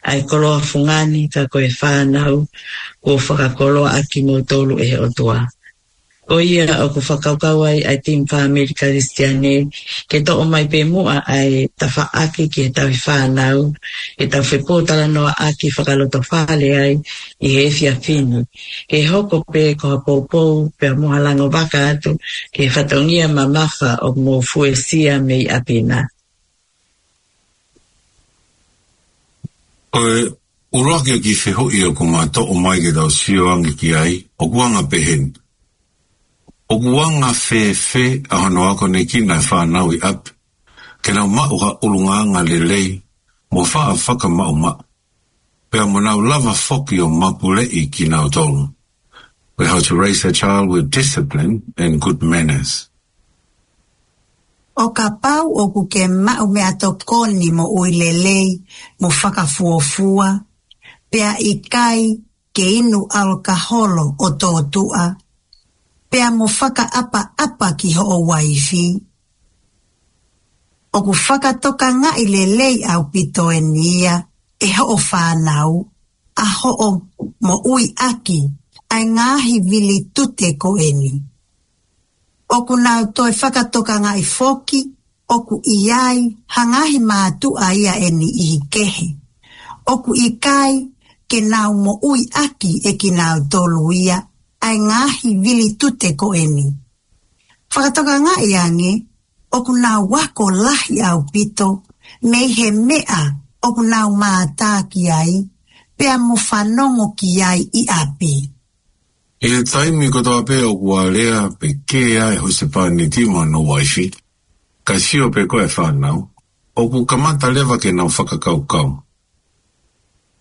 ʻa e koloa fungani, ka ko e fānau kuo fakakoloaʻaki kimoutolu ʻe he ʻOtua. Ko ia ʻoku fakakaukau ai ʻa e timi fāmili Kalisitiane ke toʻo mai pē muʻa ʻa e tafaʻaki ki he tauhi fānau, ke tau fepōtalanoaʻaki fakalotofale ai ʻi he efiafi ni, ke hoko pē ko ha poupou pea mo ha lango vaka atu ki he fatongia mamafa ʻoku mou fuesia mei ʻapi na. Ko e ʻuluaki ʻo e kiʻi fehuʻi ʻoku ma toʻo mai ke tau sio ange ki ai, ʻoku anga pehē ni: ʻOku anga fēfē ʻa hono akonekina e fānau ʻi ʻapi ke nau maʻu ha ʻulungaanga lelei mo faʻa fakamaʻumaʻu, pea mo nau lava foki ʻo mapuleʻi kinautolu? How to raise a child with discipline and good manners. ʻO kapau ʻoku ke maʻu meʻatokoni moʻui lelei mo fakafuofua, pea ʻikai ke inu ʻalokaholo ʻo tōtuʻa, pea mo fakaʻapaʻapa ki hoʻo uaifi, ʻoku fakatokangaʻi lelei ʻaupito eni ia ʻe hoʻo fānau ʻa hoʻo moʻuiʻaki ʻa e ngaahi vilitute ko eni. ʻOku nau toe fakatokangaʻi foki ʻoku ʻi ai ha ngaahi mātuʻa ia ʻe niʻihi kehe ʻoku ʻikai ke nau moʻuiʻaki ʻe kinautolu ia ʻa e ngaahi vilitute ko eni. Fakatokangaʻi ange ʻoku nau ako lahi ʻaupito mei he meʻa ʻoku nau mātā ki ai pea mo fanongo ki ai ʻi ʻapi. ʻI he taimi kotoa pē ʻoku alea pe kē ai e husepāniti mo hono uaifi, kae sio pē ko e fānau, ʻoku kamata leva ke nau fakakaukau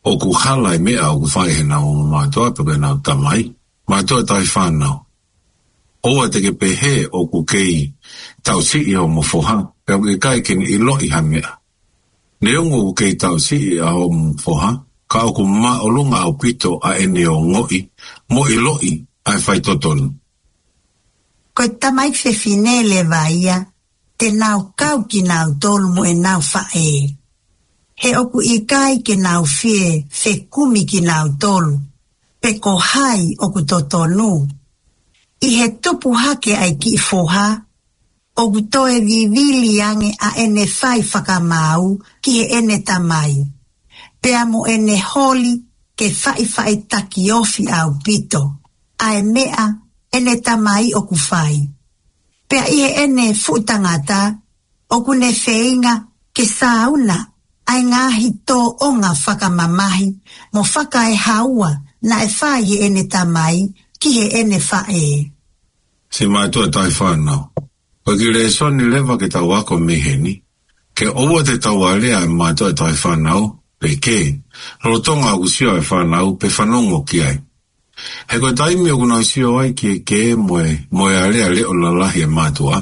ʻoku hala e meʻa ʻoku fai ʻe heʻenau ongo mātuʻa pe ko ʻenau tamai. Mātuʻa taʻefānau, ʻoua te ke pehē ʻoku kei tausiʻi homo foha, pea ʻoku ʻikai ke ne ʻiloʻi ha meʻa. Neongo ʻoku kei tausiʻi ʻa homo foha, ka ʻoku māʻolunga ʻaupito ʻa ʻene ongoʻi mo ʻiloʻi ʻa e faitotonu. Ko e tamaiki fefine leva ia te nau kau kinautolu mo ʻenau faʻē, he ʻoku ʻikai ke nau fie fekumi kinautolu pe ko hai ʻoku totonu. ʻI he tupu hake ʻa e kiʻi foha, ʻoku toe vivili ange ʻa ʻene fai fakamaau ki heʻene tamai, pea mo ʻene holi ke faʻifaʻitaki ofi ʻaupito ʻa e meʻa ʻene tamai ʻoku fai. Pea ʻi heʻene fuʻu tangata, ʻoku ne feinga ke sāuna ʻa e ngaahi tōʻonga fakamamahi mo fakaehaua naʻe fai heʻene tamai ki heʻene faʻē. Siʻi mātuʻa taʻefānau, ko e kiʻi lēsoni leva ke tau ako mei heni, ke ʻoua te tau alea e mātuʻa taʻefānau pe kē, lolotonga ʻoku sio e fānau pe fanongo ki ai. He ko e taimi ʻoku nau sio ai ki he kē mo e, mo e alea leʻo lalahi ʻa e mātuʻa,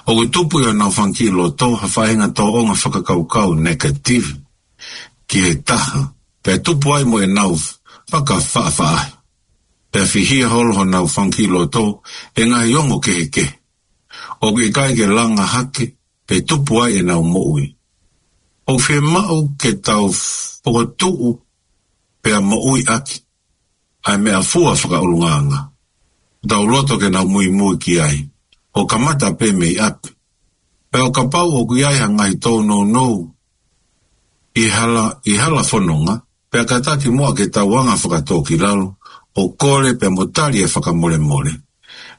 ʻoku tupu ʻi honau fanga kiʻi loto ha faʻahinga tōʻonga fakakaukau negative ki he taha, pea tupu ai mo ʻenau fakafaʻafaʻahi. Pea fihia holo honau fanga kiʻi loto ʻe he ngaahi ongo kehekehe. ʻOku ʻikai ke langa hake pe tupu ai ʻenau moʻui. ʻOku fiemaʻu ke tau fokotuʻu pea moʻuiʻaki ʻa e meʻafua fakaʻulungaanga. Tau loto ke nau muimui ki ai, ʻo kamata pē mei ʻapi. Pea ʻo kapau ʻoku ʻi ai ha ngaahi tōnounou ʻi hala, ʻi hala fononga, pea kātaki muʻa ke tau anga fakatōkilalo, ʻo kole pea mo tali e fakamolemole.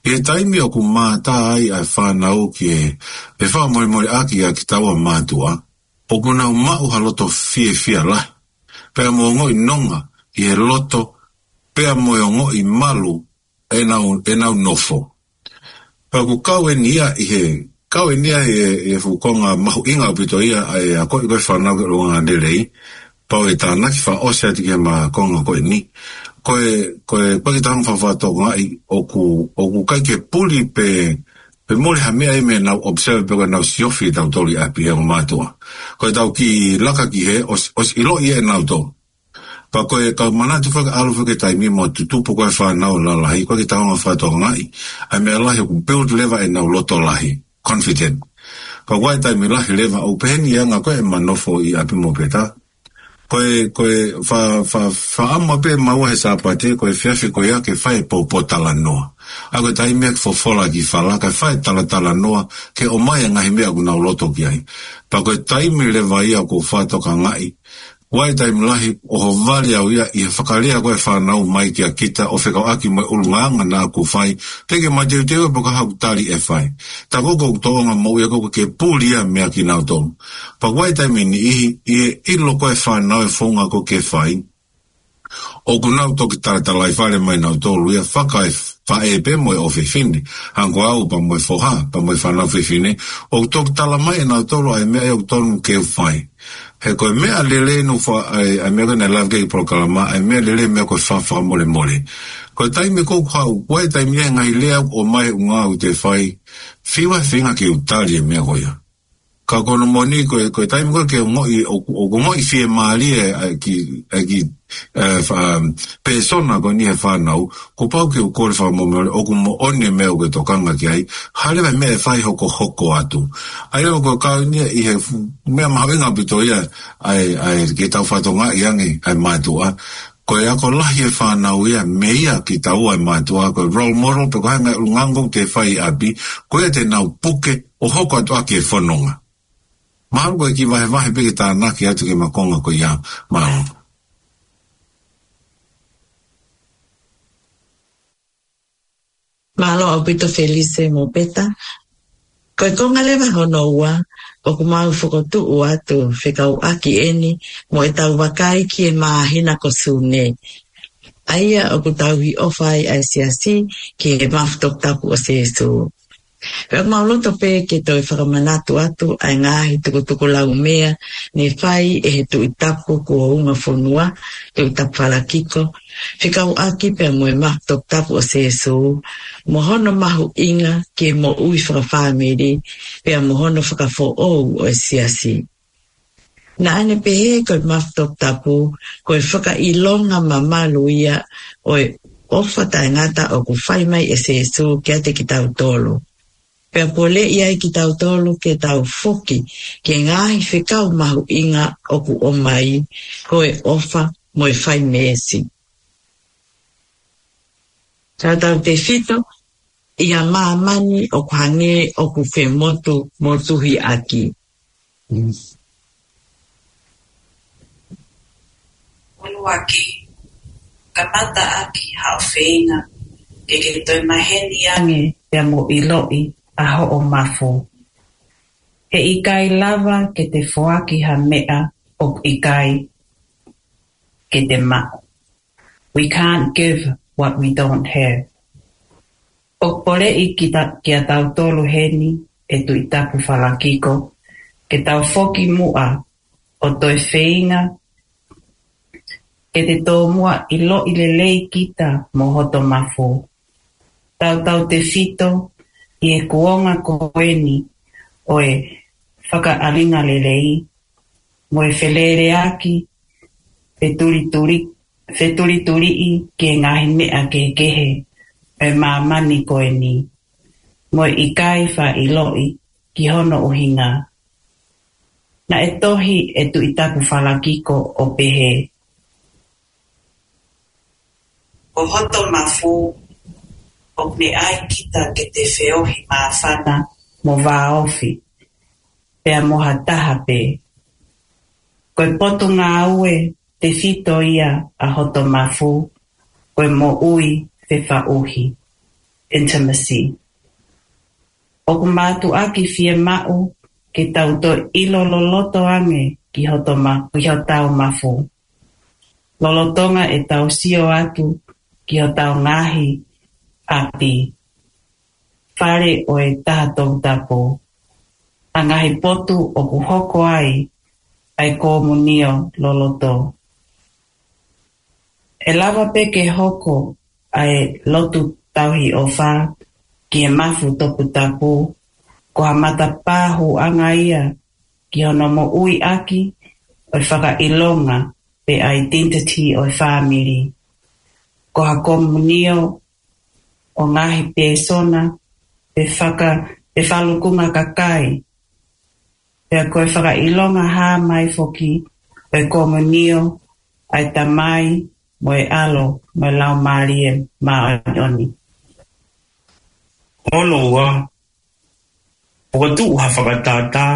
ʻI he taimi ʻoku mātā ai ʻa e fānau ki he, e fakamolemoleʻaki ʻa kitaua mātuʻa, ʻoku nau maʻu ha loto fiefia lahi, pea mo ongoʻi nonga ʻi he loto, pea mo e ongoʻi malu ʻenau, ʻenau nofo. Pea ʻoku kau eni ia ʻi he, kau eni ia ʻi he, ʻi he fuʻu konga mahuʻinga ʻaupito ia ʻa e akoʻi ko ē fānau ki he ʻulungaanga lelei, pea ʻoku ou tānaki fakaʻosi atu ki he ma konga ko eni. Ko e, ko e, ko e kiʻi tau hanga fakatokangaʻi ʻoku, ʻoku ʻikai ke puli pe, pe mole ha meʻa ia mei heʻenau observe pe ko ʻenau siofi ʻe tautolu ʻi ʻapi he ongo mātuʻa. Ko e tau kiʻi laka ki hē, ʻosi, ʻosi ʻiloʻi ʻe nautolu. Pea ko e kau manatu fakaʻalu fakaʻi taimi mo tutupu ko ē fānau lalahi, ko e kiʻi tau hanga fakatokangaʻi ʻa e meʻa lahi ʻoku build leva ʻenau loto lahi, confident. Pea ko e taimi lahi leva ʻoku pehē ni ʻa e anga ko ē ʻema nofo ʻi ʻapi mo peta. Ko e, ko e fa, fa, faʻamu pē maua he Sāpate, ko e efiafi ko ia ke fai e pōpōtalanoa. ʻA ko e taimi ʻoku fofola ki fala, kae fai e talatalanoa, ke ʻomai e ngaahi meʻa ʻoku nau loto ki ai. Pea ko e taimi leva ia ʻoku ou fakatokangaʻi, ʻoku ʻi ai e taimi lahi ʻoku ʻohovale au ia ʻi he fakalea ko ē fānau mai kia kita ʻo fekauʻaki mo e ʻulungaanga naʻa ku fai, teʻeki ke mateuteu pe ko e hā ʻoku tali ʻe fai. Tā ko ē ʻoku tōʻonga moʻui ʻa ko ē ke puli ia meia kinautolu. Pea ʻoku ʻi ai e taimi niʻihi, ʻi he ʻilo ko ē fānau e founga ʻoku ke fai, ʻoku nau toki talatalaifale mai nautolu ia fakaefaʻē pē mo e ʻofefine, hangē ko au pea mo e foha, pea mo e fānau fefine, ʻoku toki tala mai ʻe nautolu ʻa e meʻa ia ʻoku tonu ke u fai. He ko e meʻa lelei nu fa, ʻa e, ʻa e meʻa ko ē naʻe lave ki ai e polokalama, ʻa e meʻa lelei meʻa ko e fa, fakamolemole. Ko e taimi ko ē ʻoku haʻu, ʻoku ʻi ai e taimi ʻe ngaahi lea ʻoku ʻomai ʻe ʻunga ʻoku te fai, fiu ʻa e feinga ke u tali e meʻa ko ia. Ka ko hono moʻoni ko e, ko e taimi ko ē ke ongoʻi, ʻo, ʻo ongoʻi fiemālie ʻa e kiʻi, ʻa e kiʻi, ʻe, fa, pēsona ko eni he fānau, kuo pau ke u kole fakamolemole, ʻoku moʻoni e meʻa ʻoku ke tokanga ki ai, hā leva e meʻa ʻe fai hokohoko atu. ʻA ia ko e kau eni ia ʻi he fu, meʻa mahuʻinga ʻaupito ia, ʻa e, ʻa e ke tau fakatokangaʻi ange, ʻa e mātuʻa, ko e ako lahi e fānau ia, meia kitaua e mātuʻa, ko e role model, pe ko e hā e ngaahi ʻulungaanga ʻoku te fai ʻi ʻapi, ko ia te nau puke, ʻo hoko atu ʻaki e fononga. Mahalo ko e kiʻi vahevahe pē ke tānaki atu ki he ma konga ko ia, mālō. Mālō ʻaupito Felise mo Peta. Ko e konga leva hono ua, ʻoku mau fokotuʻu atu fekauʻaki eni mo ʻetau vakai ki he māhina ko Sune. ʻA ia ʻoku tauhi ʻofa ai ʻa e siasi ki he mafu toputapu ʻo Sēsū. Pea ʻoku mau loto pē ke toe fakamanatu atu ʻa e ngaahi tukutukulaumea ne fai ʻe he Tuʻi Tapu kuo unga fonua, Tuʻi Tapu Falakiko, fekauʻaki pea mo e mafu toputapu ʻo Sēsū, mo hono mahuʻinga ki he moʻui fakafāmili, pea mo hono fakafoʻou ʻo e siasi. Naʻa ne pehē ko e mafu toputapu, ko e fakaʻilonga mamalu ia ʻo e ʻofa taʻengata ʻoku fai mai ʻe Sēsū kiate kitautolu. Pea poleʻi ai kitautolu ke tau foki ki he ngaahi fekau mahuʻinga ʻoku ʻomai, ko e ʻofa mo e fai meesi. Tautautefito, ʻi ha māmani ʻoku hangē ʻoku femotumotuhiʻaki. ʻUluaki, kamata ʻaki haʻo feinga ke ke toe maheni ange pea mo ʻiloʻi ʻa hoʻo mafu. He ʻikai lava ke te foaki ha meʻa ʻoku ʻikai ke te maʻu. We can't give what we don't have. ʻOku poleʻi kita, kia tautolu heni ʻe Tuʻi Tapu Falakiko, ke tau foki muʻa ʻo toe feinga ke te tomuʻa ʻiloʻi lelei kita mo hoto mafu. Tautautefito ʻi he kuonga ko eni ʻo e fakaʻalinga lelei, mo e feleleʻaki, fetulituli-, fetulituliʻi ki he ngaahi meʻa kehekehe ʻo e māmani ko eni, mo e ʻikai faʻa ʻiloʻi ki hono ʻuhinga. Naʻe tohi ʻe Tuʻi Tapu Falakiko ʻo pehē: Ko hoto mafu, ʻoku ne ʻai kita ke te feohi māfana mo vāofi, pea mo ha taha pē. Ko e potungāue tefito ia ʻa hoto mafu, ko e moʻui fefaʻuhi, intimacy. ʻOku mātuʻaki fiemaʻu ke tau toe ʻilo loloto ange ki hoto ma-, ki hotau mafu. Lolotonga ʻetau sio atu ki hotau ngaahi ʻapi, fale ʻo e Taha Toputapu, ʻa e ngaahi potu ʻoku hoko ai ʻa e komunio loloto. ʻE lava pē ke hoko ʻa e lotu tauhi ʻofa ki he mafu toputapu, ko ha matapā hūʻanga ia ki hono moʻuiʻaki ʻo e fakaʻilonga pe identity ʻo e fāmili. Ko ha komunio ʻo e ngaahi pēsona pe faka-, pe falukunga kakai. Pea ko e fakaʻilonga hā mai foki ʻo e komunio ʻa e Tamai mo e ʻAlo mo e Laumālie Māʻoniʻoni. Hono ua, fokotuʻu ha fakatātā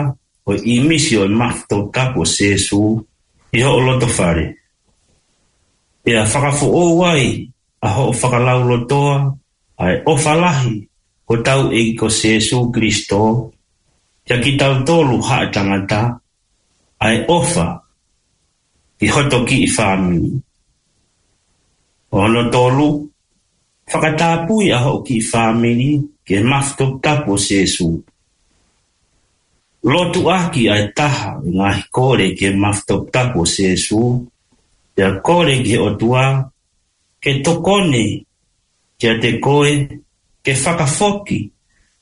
ʻo e ʻīmisi ʻo e mafu toputapu ʻo Sēsū ʻi hoʻo loto fale. Pea fakafoʻou ai ʻa hoʻo fakalaulotoa ʻa e ʻofa lahi hotau ʻEiki ko Sēsū Kilisitō kia kitautolu haʻa tangata, ʻa e ʻofa ki hoto kiʻi fāmili. Hono tolu, fakatapui ʻa hoʻo kiʻi fāmili ki he mafu toputapu ʻo Sēsū. Lotuʻaki ʻa e taha ʻo e ngaahi kole ki he mafu toputapu ʻo Sēsū, pea kole ki he ʻOtua ke tokoni kiate koe ke fakafoki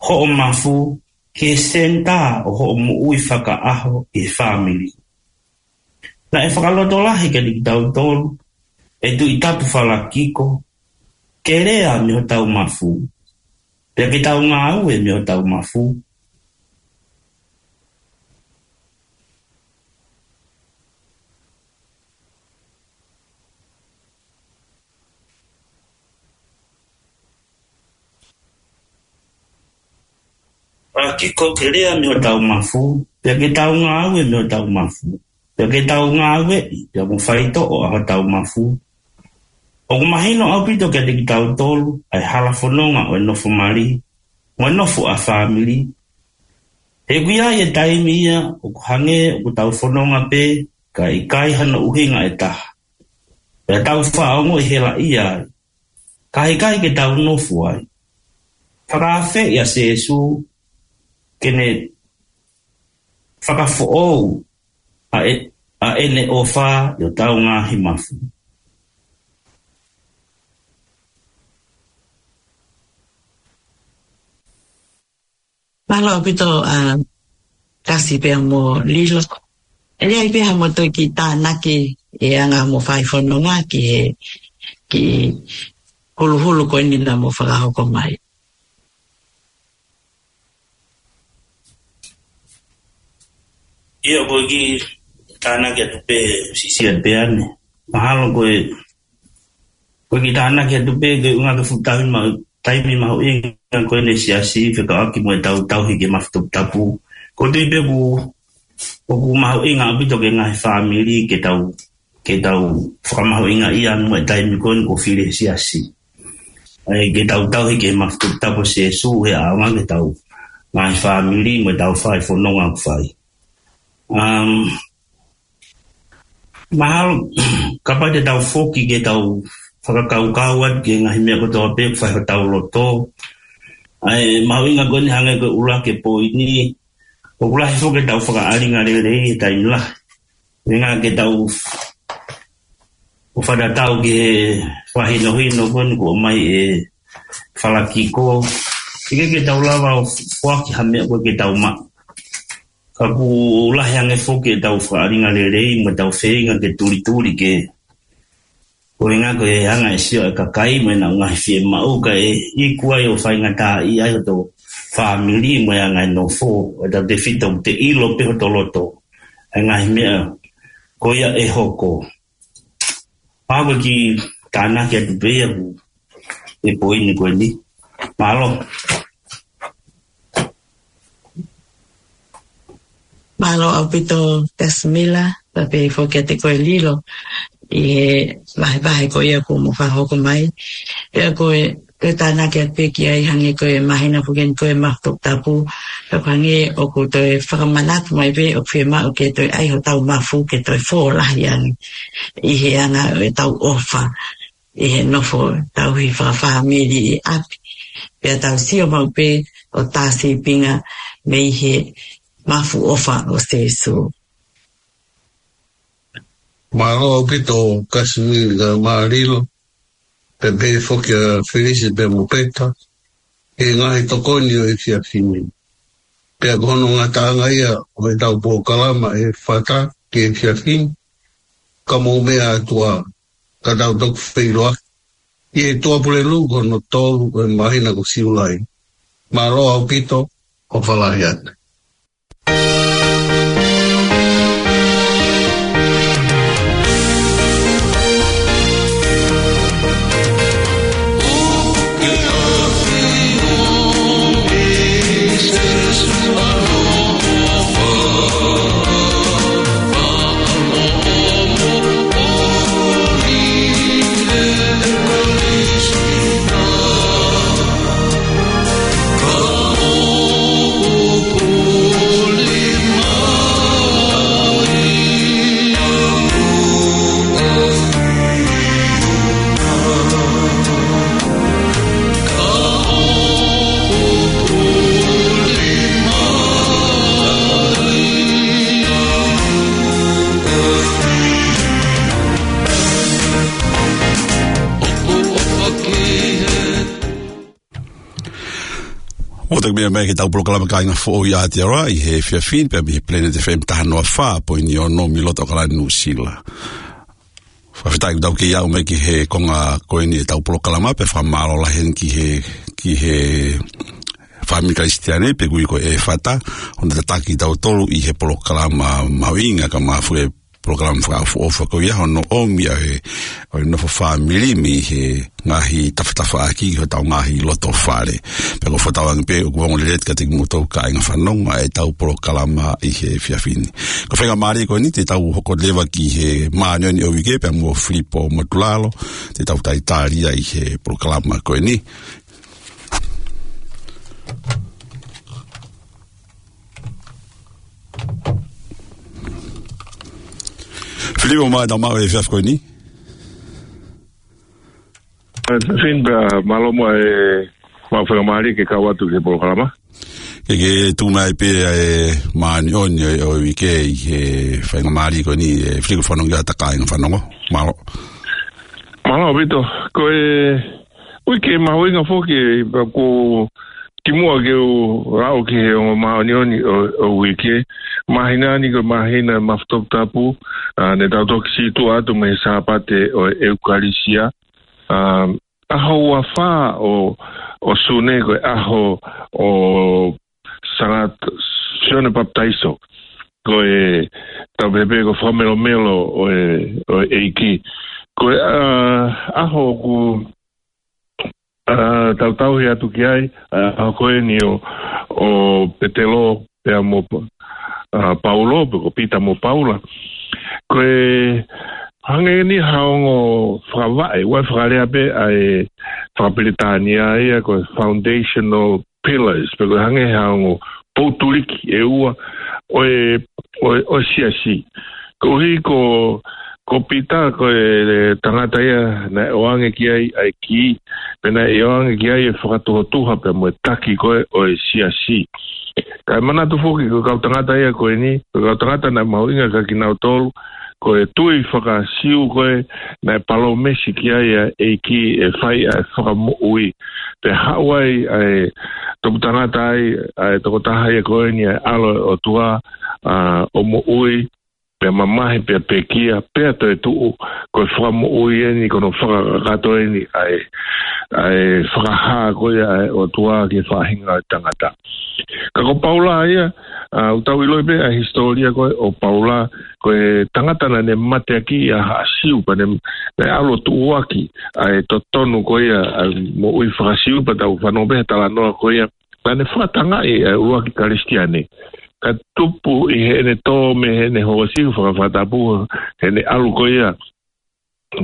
hoʻo mafu ki he senitā ʻo hoʻo moʻui fakaʻaho ʻi he fāmili. Naʻe fakalotolahi kiate kitautolu ʻe Tuʻi Tapu Falakiko ke lea mei hotau mafu, pea ke tau ngāue mei hotau mafu. Fakakiko ke lea mei hotau mafu, pea ke tau ngāue mei hotau mafu, pea ke tau ngāueʻi pea mo faitoʻo ʻa hotau mafu. ʻOku mahino ʻaupito kiate kitautolu ʻa e hala fononga ʻo e nofo mali mo e nofo ʻa fāmili. He ʻoku ʻi ai e taimi ia ʻoku hangē ʻoku tau fononga pē, kae ʻikai hano ʻuhinga ʻe taha. Pea tau faʻa ongoʻi helaʻia ai, ka heʻikai ke tau nofo ai. Fakaafeʻi ʻa Sēsū ke ne fakafoʻou ʻa e, ʻa ʻene ʻofa ʻi hotau ngaahi mafu. Mālō ʻaupito, ʻa, Kasi pea mo Lilo. ʻE ʻi ai pē ha mou toki tānaki ʻi he anga hoʻomou fai fononga ki he, ki he huluhulu ko eni naʻa mou fakahoko mai. ʻIo, ko e kiʻi tānaki atu pē, siʻisiʻi pē ʻanai. Mahalo ko e, ko e kiʻi tānaki atu pē, ko e ʻuhinga ko e fuʻu taimi ma-, taimi mahuʻinga ko eni he siasi, fekauʻaki mo ʻetau tauhi ki he mafu toputapu. ʻOku ou tui pē ʻoku, ʻoku mahuʻinga ʻaupito ki he ngaahi fāmili ke tau, ke tau fakamahuʻingaʻia mo e taimi ko eni ʻoku fili he siasi. ʻA ia ke tau tauhi ki he mafu toputapu ʻo Sēsū he ʻaonga ki heʻetau ngaahi fāmili mo ʻetau fai fononga ʻoku fai. Um, mahalo, kapau te tau foki ke tau fakakaukau atu ki he ngaahi meʻa kotoa pē ʻoku fai hotau loto. ʻA e mahuʻinga ko eni hangē ko e ʻuluaki poini, ʻoku lahi foki ʻetau fakaʻalinga lelei he taimi lahi. Meʻa ke tau ʻo fakatatau ki he fakahinohino ko eni kuo ʻomai ʻe Falakiko. ʻIkai ke tau lava ʻo foaki ha meʻa ko ē ke tau maʻu. Ka ʻoku lahi ange foki ʻetau fakaʻalinga lelei mo ʻetau feinga ke tulituli ke, ko e ʻuhinga ko e anga e sio ʻa e kakai mo ʻenau ngaahi fiemaʻu kae iku ai ʻo faingataʻaʻia ai hoto fāmili mo e anga e nofo, ʻo tautefito ʻoku te ʻilo pē hoto loto ʻa e ngaahi meʻa ko ia ʻe hoko. Pau ki he tānaki atu pē ia ʻoku ʻi he poini ko eni. Mālō. Mālō ʻaupito Kasimila, pea pehē foki kiate koe Lilo, ʻi he vahevahe ko ia kuo mo fakahoko mai. Pea ko e, ko e tānaki atu pē ki ai hangē ko e māhina foki eni ko e mafu toputapu. Pea ko e hangē ʻoku toe fakamanatu mai pē ʻoku fiemaʻu ke toe ʻai hotau mafu ke toe fō lahi ange ʻi he anga ʻetau ʻofa ʻi he nofo tauhi fakafāmili ʻi ʻapi. Pea tau sio maʻu pē ʻo tā sīpinga mei he mafu ʻofa ʻo Sēsū. Mālō ʻaupito Kasimila mo Lilo, pea pehē foki ʻa Felisi pea mo Peta, he ngaahi tokoni ʻo e efiafi ni. Pea ko hono ngataʻanga ia ʻo ʻetau polokalama ʻe Fata ki he efiafi ni, ka mou meʻa atu ā, ka tau toki feʻiloaki ʻi he Tuʻapulelulu ko hono tolu ʻo e māhina ko Siulai. Mālō ʻaupito, ʻofa lahi atu. ʻOku tau meʻa mai ki heʻetau polokalama Kāinga Foʻou ʻi Aotearoa ʻi he efiafi ni, pea mei he Planet F M taha noa fā poini ono mei loto ʻAokalani, Nuʻusila. Fakafetaʻi ʻoku tau kei aʻu mai ki he konga ko eni ʻetau polokalama, pea fakamālō lahi eni ki he, ki he fāmili Kalisitiane, pea ʻoku ui ko e Fata, hono tataki kitautolu ʻi he polokalama mahuʻinga ka mafu e polokalama fakaʻofoʻofa ko ia hono ʻomi ʻa e, ʻo e nofo fāmili mei he ngaahi tafatafaʻaki ki hotau ngaahi loto fale. Pea ʻoku ou fakatauange pē ʻoku ongo lelei atu kiate kimoutolu kāinga fanongo ʻa ʻetau polokalama ʻi he efiafi ni. Ko e faingamālie ko eni te tau hoko leva ki he māʻoniʻoni ʻo e uike pea mo Filipo Motulalo, te tau talitali ia ʻi he polokalama ko eni. Filipo, mālō e tau maʻu e efiafi ko eni. Fin pea mālō muʻa e maʻu faingamālie ke kau atu ki he polokalama. Ke ke tuku mai pē ʻa e māʻoniʻoni ʻo e, ʻo e uike ʻi he faingamālie ko eni, ē, Filipo, fanongo ki ai ʻa e kāinga fanongo. Mālō. Mālō ʻaupito. Ko e uike mahuʻinga foki, pea ʻoku kimuʻa ke u lau ki he ongo māʻoniʻoni ʻo, ʻo e uike. Māhina ni ko e māhina mafu toputapu, ā, ne tau toki sītuʻa atu mei he Sāpate ʻo e ʻEukalisia. Ā, ʻaho ua fā ʻo, ʻo Sune ko e ʻaho ʻo Sangata Sione Papitaiso. Ko e tau pehē pē ko e fakamelomelo ʻo e, ʻo e ʻEiki. Ko e, ā, ʻaho ʻoku, ā, tau tauhi atu ki ai, ā, ʻaho ko eni ʻo, ʻo Petelo pea mo, ā, Paulo, pe ko Pita mo Paula. Ko e hangē ni ha ongo fakavaʻe, ʻoku fakalea pē ʻa e fakapilitānia ia ko e foundational pillars, pe ko e hangē ha ongo poutuliki ʻe ua ʻo e, ʻo e, ʻo e siasi. Koeʻuhi ko, ko Pita ko e tangata ia naʻe ʻoange ki ai ʻa e kī, pea naʻe ʻoange ki ai e fakatuhotuha pea mo e taki ko ē ʻo e siasi. Kae manatu foki ko e kau tangata ia ko eni, ko e kau tangata naʻe mahuʻinga kia kinautolu, ko e tui faka-Siu ko ē naʻe palōmesi ki ai ʻa e ʻEiki ʻe fai ʻa e fakamoʻui. Pea haʻu ai ʻa e toputangata ai, ʻa e tokotaha ia ko eni ʻa e ʻAlo ʻo e ʻOtua, ʻa, ʻo moʻui, pea mamahi, pea pekia, pea toe tuʻu, ko e fakamoʻui eni, ko hono fakakakato eni ʻa e, ʻa e fakahā ko ia ʻa e ʻOtua ki he faʻahinga ʻo e tangata. Ka ko Paula ia, ʻa, ʻoku tau ʻiloʻi pē ʻa e hisitōlia ko ē ʻo Paula, ko e tangata naʻa ne mateakiʻi ʻa Haʻa Siu, pea ne, ne ʻalu ʻo tuʻuaki ʻa e totonu ko ia ʻa e moʻui faka-Siu, pea tau fanongo pē he talanoa ko ia naʻa ne fakatangaʻi ʻa e ʻuluaki Kalisitiane. Ka tupu ʻi heʻene tō mei heʻene hoosi, fakafatapu heʻene ʻalu ko ia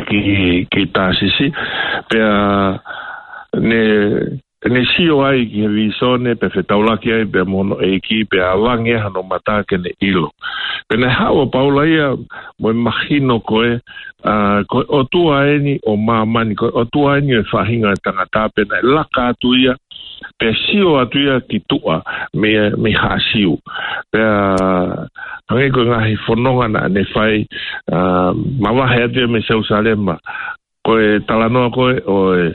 ki, ki Tāsisi. Pea ne, ne sio ai ki he vīsone, pea fetaulaki ai pea mo hono ʻEiki, pea ʻavangi ai hano mata ke ne ʻilo. Pea naʻe haʻu ʻa Paula ia mo e mahino ko ē, ʻa, ko e ʻOtua eni ʻo māmani, ko e ʻOtua eni ʻo e faʻahinga ʻo e tangata, pea naʻe laka atu ia, pea sio atu ia ki tuʻa mei, mei Haʻa Siu. Pea hangē ko e ngaahi fononga naʻa ne fai, ʻa, mavahe atu ia mei Selusalema. Ko e talanoa ko ē ʻo e,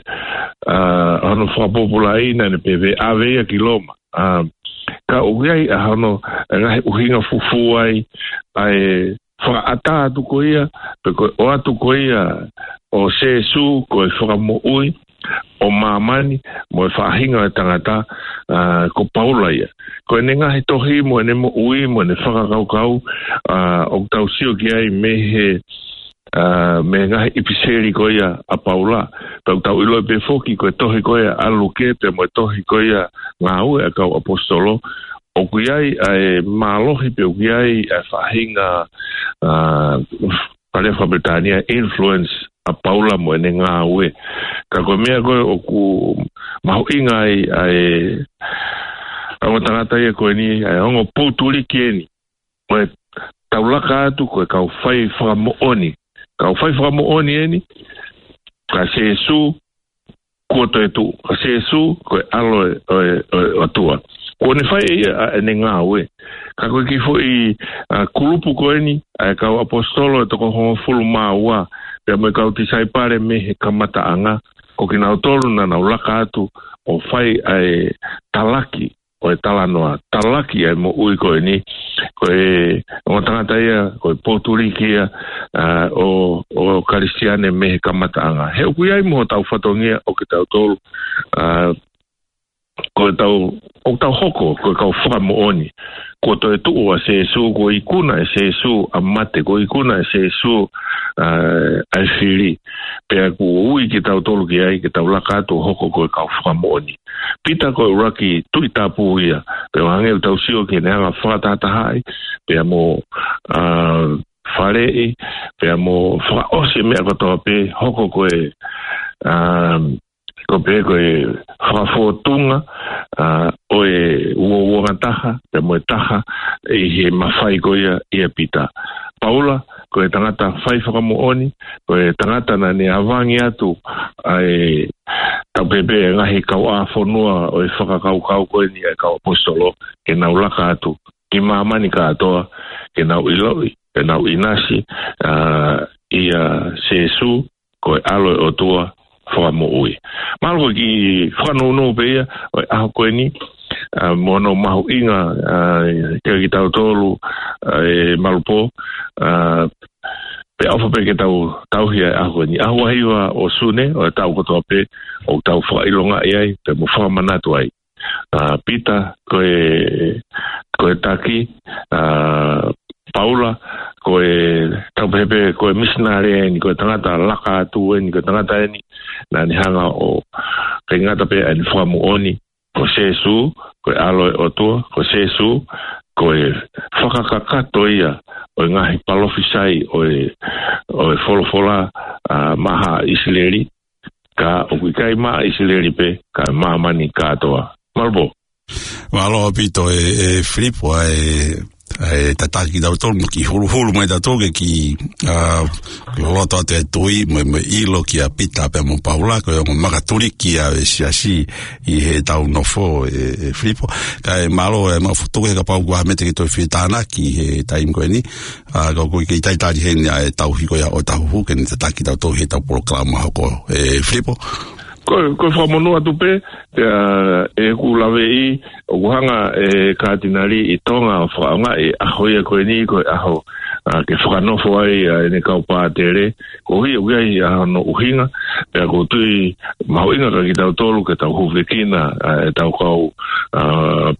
ʻa, hono fakapōpulaʻi naʻa ne pehē ʻave ia ki Loma. ʻA, ka ʻoku ʻi ai ʻa hono, ʻa e ngaahi ʻuhinga fufū ai, ʻa e fakaʻatā atu ko ia, pe ko e ʻoatu ko ia ʻo Sēsū ko e fakamoʻui ʻo māmani mo e faʻahinga ʻo e tangata, ʻa, ko Paula ia. Ko ʻene ngaahi tohi mo ʻene moʻui mo ʻene fakakaukau, ʻa, ʻoku tau sio ki ai mei he, ʻa, mei he ngaahi ʻipiseli ko ia ʻa Paula. Pea ʻoku tau ʻiloʻi pē foki ko e tohi ko ia ʻa Luke pea mo e tohi ko ia Ngāue ʻa e Kau ʻAposetolo, ʻoku ʻi ai ʻa e mālohi pe ʻoku ʻi ai ʻa e faʻahinga, ʻa, pale faka-Pilitānia, influence ʻa Paula mo ʻene ngāue. Ka ko e meʻa ko ē ʻoku mahuʻinga ai ʻa e, ʻa e ongo tangata ia ko eni, ʻa e ongo poutuliki eni. Ko e tau laka atu ko e kau fai fakamoʻoni. Kau fai fakamoʻoni eni, ka Sēsū kuo toe tuʻu, ka Sēsū ko e ʻAlo ʻo e, ʻo e, ʻo e ʻOtua. Kuo ne fai ʻe ia ʻa ʻene ngāue. Ka ko e kiʻi foʻi, ʻa, kulupu ko eni, ʻa e Kau ʻAposetolo ʻe toko hongofulu mā ua, pea mo e kau tisaipale mei he kamataʻanga, ko kinautolu naʻa nau laka atu ʻo fai ʻa e talaki ʻo e talanoa, talaki ʻa e moʻui ko eni, ko e ongo tangata ia, ko e poutuliki ia, ʻa, ʻo, ʻo Kalisitiane mei he kamataʻanga. He ʻoku ʻi ai mo hotau fatongia ʻo kitautolu, ʻa, ko e tau, ʻoku tau hoko ko e kau fakamoʻoni. Kuo toe tuʻu ʻa Sēsū, kuo ikuna ʻe Sēsū ʻa mate, kuo ikuna ʻe Sēsū, ʻa, ʻa e fili. Pea kuo ui kitautolu ki ai, ke tau laka atu ʻo hoko ko e kau fakamoʻoni. Pita ko e ʻuluaki tuʻi tapu ia, pea ʻo hangē ʻoku tau sio ki heʻene anga fakatahatahaʻi, pea mo, ʻa, faleʻi, pea mo fakaʻosi e meʻa kotoa pē, hoko ko e, ʻa, ko pē ko e fakafōtunga, ʻa, ʻo e uouangataha, pea mo e taha, ʻi he mafai ko ia ʻia Pita. Paula, ko e tangata fai fakamoʻoni, ko e tangata naʻa ne ʻavangi atu ʻa e tau pehē pē ngaahi kauʻāfonua ʻo e fakakaukau ko eni ʻa e kau ʻaposetolo, ke nau laka atu ki māmani kātoa, ke nau ʻiloʻi, ke nau ʻinasi, ʻa, ʻia Sēsū, ko e ʻAlo ʻo e ʻOtua fakamoʻui. Mālō ko e kiʻi fakanounou pē ia ʻo e ʻaho ko eni, ʻa, mo hono mahuʻinga, ʻa, kia kitautolu, ʻa, ʻe Malupō, ʻa, pea ʻofa pē ke tau tauhi ʻa e ʻaho ko eni. ʻAho hiva ʻo Sune ʻo e taʻu kotoa pē, ʻoku tau fakaʻilongaʻi ai, pea mo fakamanatu ai. ʻA, Pita, ko e, ko e taki, ʻa, Paula, ko e tau pehē pē, ko e misinale eni, ko e tangata laka atu eni, ko e tangata eni naʻa ne hanga ʻo, ʻikai ngata pē ʻene fakamoʻoni ko Sēsū ko e ʻAlo ʻo e ʻOtua, ko Sēsū ko e fakakakato ia ʻo e ngaahi palōfisai ʻo e, ʻo e folofola, ʻa, maʻa ʻIsileli, ka ʻoku ʻikai maʻa ʻIsileli pē, ka māmani kātoa. Malupō. Mālō ʻaupito ē, ē Filipo, ʻa e ʻe tataki kitautolu, mo kiʻi huluhulu mai tautolu ke kiʻi, ā, loloto atu e tui, mo, mo ʻilo kia Pita pea mo Paula, ko e ongo makatuliki ʻa e siasi ʻi heʻetau nofo ē, ē Filipo. Kae mālō e maʻu fokotuʻu he kapau ko ha meʻa te ke toe fie tānaki he taimi ko eni. Ā, ka ʻoku ʻikai ke talitali heni ʻa e tauhi ko ia ʻo Tahuhu ke ne tataki tautolu heʻetau polokalama hoko ē Filipo. Ko, ko e fakamonū atu pē, ʻa, ʻeku laveʻi, ʻoku hanga ʻe he Katinali ʻi Tonga ʻo fakaʻaongaʻi e ʻaho ia ko eni ko e ʻaho, ā, ke fakanofo ai ʻa ʻene kau pātele, koeʻuhi ʻoku ʻi ai ʻa hono ʻuhinga, pea ʻoku ou tui mahuʻinga kia kitautolu ke tau hūfekina, ā, ʻetau kau, ā,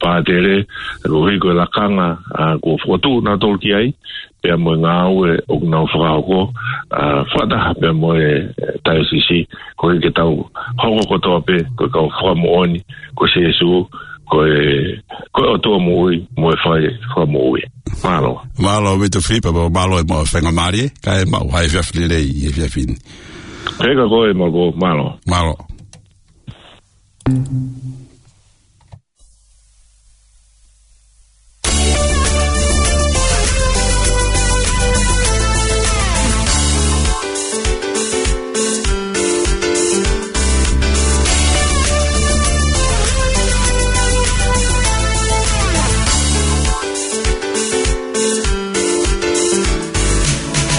pātele, koeʻuhi ko e lakanga, ā, kuo fokotuʻu nautolu ki ai, pea mo e ngāue ʻoku nau fakahoko, ā, fakataha pea mo e, ē, taiosisi, koeʻuhi ke tau hoko kotoa pē ko e kau fakamoʻoni, ko Sīsū, ko e, ko e ʻOtua moʻui, mo e fai fakamoʻui. Mālō. Mālō, Vito Filipo, mālō e maʻu faingamālie, kae maʻu ha efiafi lelei he efiafi ni. Pea ka ko e maʻu, mālō. Mālō.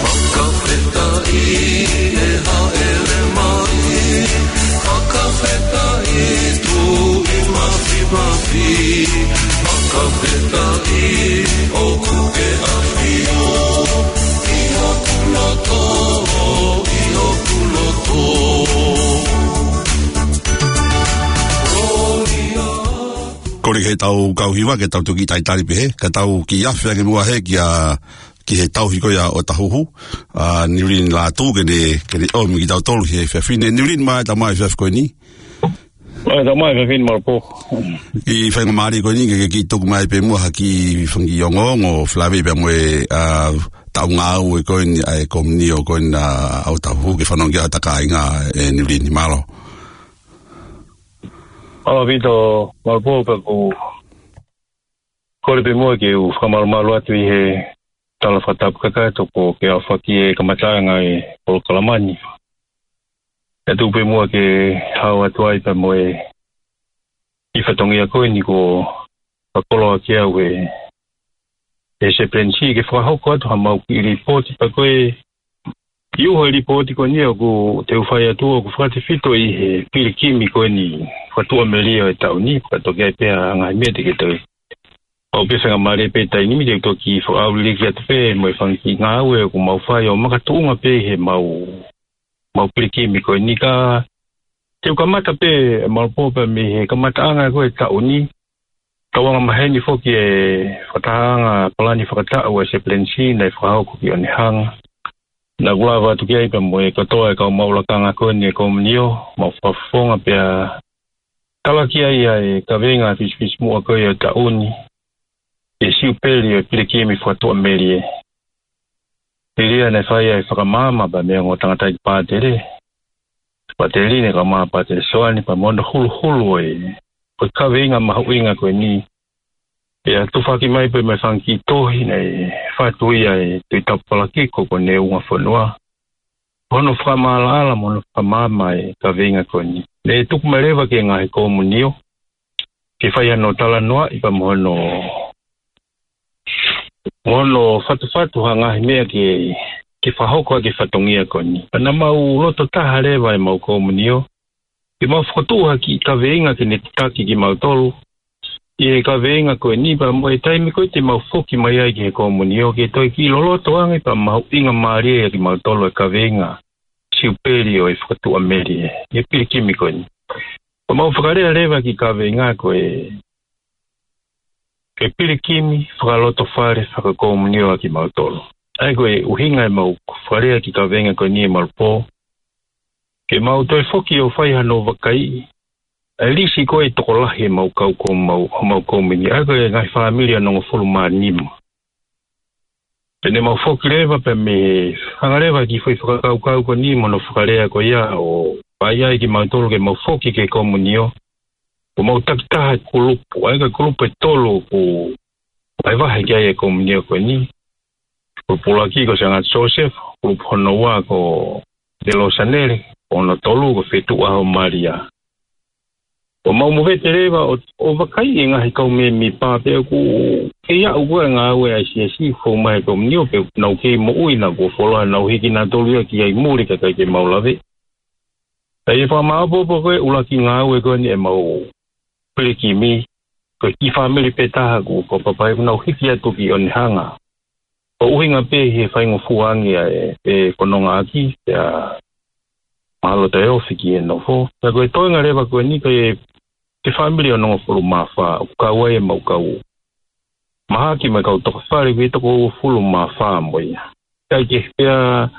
Fakafetaʻi e hāʻele mai, fakafetaʻi Tuʻi Mafimafi, fakafetaʻi ʻoku ke ʻafio ʻi hoku loto, ʻi hoku loto. Kole ke tau kau hiva, ke tau toki talitali pehē, ka tau kiʻi afe ange muʻa hē kia, ki he tauhi ko ia ʻo Tahuhu, ā, Niulini Lātū ke ne, ke ne ʻomi kitautolu he efiafi ni. Niulini, mālō e tama e efiafi ko eni. Mālō e tama e efiafi ni, mālō Pō. Kiʻi faingamālie ko eni ke, ke kiʻi tuku mai pē muʻa ha kiʻi fanga kiʻi ongoongo, felāveʻi pea mo e, ā, taʻu ngāue ko eni ʻa e komiunio ko eni ʻa Tahuhu ke fanongo ki ai hota kāinga ē Niulini, mālō. Mālō Vito, mālō Pō, pea ʻoku ou kole pē muʻa ke u fakamalumalu atu ʻi he tala fakatapu kakato kuo ke aofaki e kamataʻanga e polokalama ni. Kae tuku pē muʻa ke hao atu ai pea mo e kiʻi fatongia ko eni kuo fakakoloa ki au ʻe he Sepelenisi ke fakahoko atu ha mau kiʻi lipooti pea ko e ʻi uho e lipooti ko eni ʻoku te u fai atu ʻoku fakatefito ʻi he pilikimi ko eni fakatuʻamelie ʻo e taʻu ni, fakatoki ai pē ʻa e ngaahi meʻa te ke toe. ʻOku pē faingamālie pē taimi ni te u toki fakaʻauliliki atu pē mo e fanga kiʻi ngāue ʻoku mau fai ʻo makatuʻunga pē he mau, mau pilikimi ko eni ka te u kamata pē mālō Pō pea mei he kamataʻanga ko e taʻu ni. Tau anga maheni foki e fakatahaʻanga palani fakataʻu ʻa e Sepelenisi naʻe fakahoko ki ʻOnehunga. Naʻa ku lava atu ki ai pea mo e kotoa e kau maʻu lakanga ko eni e komiunio, mau fakafofonga pea talaki ai ʻa e kaveinga fisifisimuʻa ko ia ʻo e taʻu ni, ʻa e siupeli ʻo e pilikimi fakatuʻamelie. Pili ia naʻe fai ai e fakamaama pea mei he ongo tangataʻeiki pātele, Pātele Line kae ʻumaʻā Pātele Soane pea mo hono huluhulu ʻo e, ʻo e kaveinga mahuʻinga ko eni. Pea tufaki mai pē mo e fanga kiʻi tohi naʻe fatu ia ʻe Tuʻi Tapupalakiko ko Neungafonua. Hono fakamaʻalaʻala mo hono fakamaama e kaveinga ko eni. Naʻe tuku mai leva ki he ngaahi komiunio ke fai hano talanoaʻi pea mo hono, mo hono fatufatu ha ngaahi meʻa ke, ke fakahoko ʻaki e fatongia ko eni. Pea naʻa mau loto taha leva ʻemau komiunio ke mau fokotuʻu ha kiʻi kaveinga ke ne tataki kimautolu ʻi he kaveinga ko eni pea mo e taimi ko ē te mau foki mai ai ki he komiunio ke toe kiʻi loloto ange pea mahuʻingamālie ʻaki kimautolu e kaveinga siupeli ʻo e fakatuʻamelie ʻi he pilikimi ko eni. Pea mau fakalea leva e kiʻi kaveinga ko e, ko e pilikimi fakalotofale fakakomiunio ʻa kimautolu. ʻA ia ko e ʻuhinga ʻemau fakalea e kiʻi kaveinga ko eni ē mālō Pō, ke mau toe foki ʻo fai hano vakaiʻi ʻa e lisi ko ē e tokolahi ʻemau kau ko mau, homau komiunio, ʻa ia ko e ngaahi fāmili ʻe onongofulu mā nima. Pea ne mau foki leva pea mei he hanga leva e kiʻi foʻi fakakaukau ko eni mo hono fakalea ko ia ʻo fai ai kimautolu ke mau foki ki he komiunio, ʻo mau takitaha e kulupu, ʻa ia ko e kulupu ʻe tolu ʻoku, vahevahe ki ai e komunio ko eni. Ko e pulaki ko Sangata Siosefa, ko hono ua ko Telosanele, ko hono tolu ko Fetuʻuʻaho Malia. ʻOku mau movete leva ʻo, ʻo vakai e ngaahi kau mēmipa pe ʻoku kei aʻu ko ē ngāue ʻa e siasi ʻoku fou mai he komunio pe ʻoku nau kei moʻui naʻa kuo fuoloa nau hiki nautolu ia ki ai muli kae ʻikai ke mau lave. Ka ʻi he fakamāʻopoʻopo ko ē ʻuluaki ngāue ko eni ʻemau pilikimi, ko e kiʻi fāmili pē taha ʻoku, ʻoku papai ʻoku nau hiki atu ki ʻOnehanga. ʻO ʻuhinga pē he faingofua ange ʻa e, e fononga ʻaki, pea mahalo taʻeofi ki he nofo. Pea ko e toenga leva ko eni ko e, ko e fāmili ʻe onongofulu mā fā, ʻoku kau ai ʻemau kau mahaki mo e kau tokafale ʻoku toko uofulu mā fā mo ia. Kae kehe pea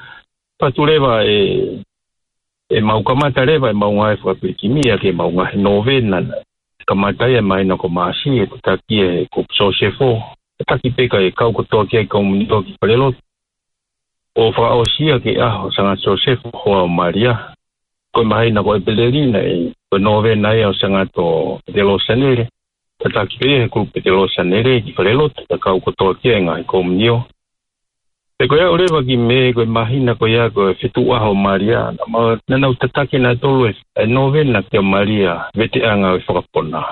fatu leva e, ʻemau kamata leva ʻemau ngāue fakapilikimi ʻaki ʻemau ngaahi nōvena. Kamata ia ʻi he māhina ko Maʻasi ʻe tataki ʻe he kupu Siosefa. Tataki pē kae kau kotoa ki ai e komunio ki falelotu. ʻO fakaʻosi ia ki he ʻaho ʻo Sangata Siosefa, hoa ʻo Malia. Ko e māhina ko ʻEpeleli naʻe, ko e nōvena ia ʻo Sangata Telosanele. Tataki pē ia ʻe he kupu Telosanele ki falelotu, kae kau kotoa ki ai e ngaahi komunio. Pea ko e aʻu leva ki Mē, ko e māhina ko ia ko e Fetuʻuʻaho Malia, naʻa mau, naʻa nau tataki nautolu e, e nōvena kia Malia, veteʻanga ʻo e fakapona.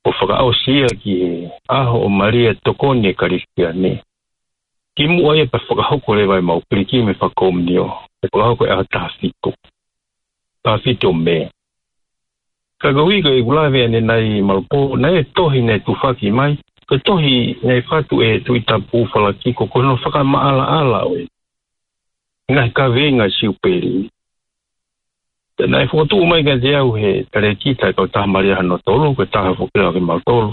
ʻO fakaʻosi ia ki he ʻaho ʻo Malia tokoni e Kalisitiane. Kimuʻa ia pea fakahoko leva ʻemau pilikimi fakakomunio, ʻe fakahoko he ʻaho taha fitu. Taha fitu ʻo Mē. Ka ko e uike ʻeku lave ʻanenai Malopō, naʻe tohi naʻe tufaki mai, ko e tohi naʻe fatu ʻe Tuʻi Tapu Falakiko, ko hono fakamaʻalaʻala ʻo e ngaahi kaveinga Siupeli. Pea naʻe fokotuʻu mai kiate au he talēkita ʻa e kautaha Malia hono tolu, ko e taha foki ʻo kimautolu,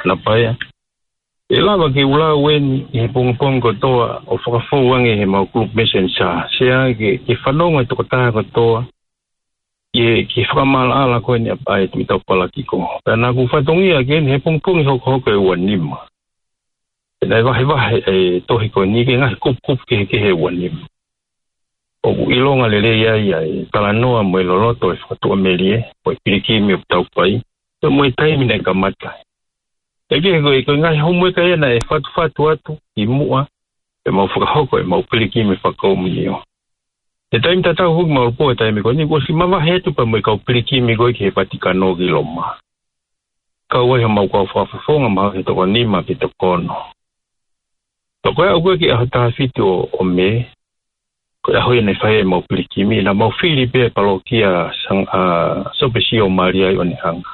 Napaea. ʻE lava ke u lau eni ʻi he pongipongi kotoa ʻo fakafou ange ʻi heʻemau group messenger. Sea ke, ke fanongo e tokotaha kotoa, ke, ke fakamaʻalaʻala ko eni ʻa e Tuʻi Tapu Falakiko. Pea naʻa ku fatongia ki ai ʻi he pongipongi hokohoko ʻe ua nima. Pea naʻe vahevahe e tohi ko eni ki he ngaahi kupukupu kehekehe ʻe ua nima. ʻOku ʻilonga lelei ai ʻa e talanoa mo e loloto ʻo e fakatuʻamelie, mo e pilikimi ʻoku tau fai, pea mo e taimi naʻe kamata. Kae kehe ko e, ko e ngaahi homework ia naʻe fatufatu atu kimuʻa pea mau fakahoko ʻemau pilikimi fakakomunio. He taimi tatau foki Malopō he taimi ko eni, kuo ʻosi mavahe atu pea mo e kau pilikimi ko ē ki he Vatikano ki Loma. Kau ai homau kau fakafofonga mahalo ʻe toko nima pe toko ono. Pea ko e aʻu ko ē ki he ʻaho taha fitu ʻo, ʻo Mē, ko e ʻaho ia naʻe fai ai ʻemau pilikimi, naʻa mau fili pē e palokia Sang-, ʻa Sopesi ʻo Malia ʻi ʻOnehanga.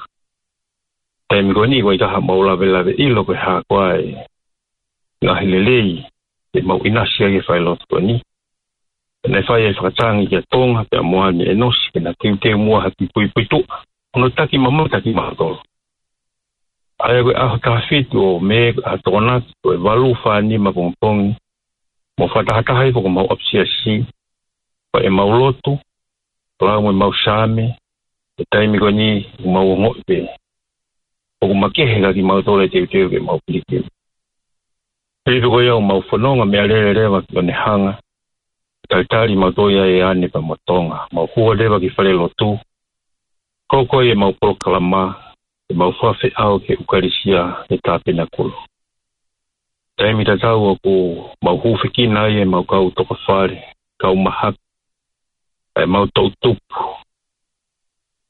Taimi ko eni ʻoku ʻikai ha mau lavelave ʻilo ko e hā koā e ngaahi lelei ʻe mau ʻinasi ai he falelotu ko eni. Naʻe fai e fakatangi kia Tonga, pea mo ʻAne ʻEnosi, ke na teuteu muʻa ha kiʻi puipuituʻa, hono taki mamata kimautolu. ʻA ia ko e ʻaho taha fitu ʻo Mē, ʻa Tokonaki, ko e valu fā nima pongipongi, mau fakatahataha ai foki homau ʻapisiasi, pea ʻemau lotu, lau mo ʻemau saame, he taimi ko eni ʻoku mau ongoʻi pē ʻoku makehe kiate kimautolu e teuteu ke mau pilikimi. Pea ko ia ʻoku mau fononga meʻalele leva ki ʻOnehanga, talitali mautolu ia ʻe ʻAne pea mo Tonga, mau hū leva ki falelotu, koko ai ʻemau polokalama, ʻemau fakafeʻao ki he ʻEkalesia he Tāpenakulu. Taimi tatau ʻoku mau hūfekina ai ʻemau kau tokafale, kau mahaki, ʻemau toʻutupu,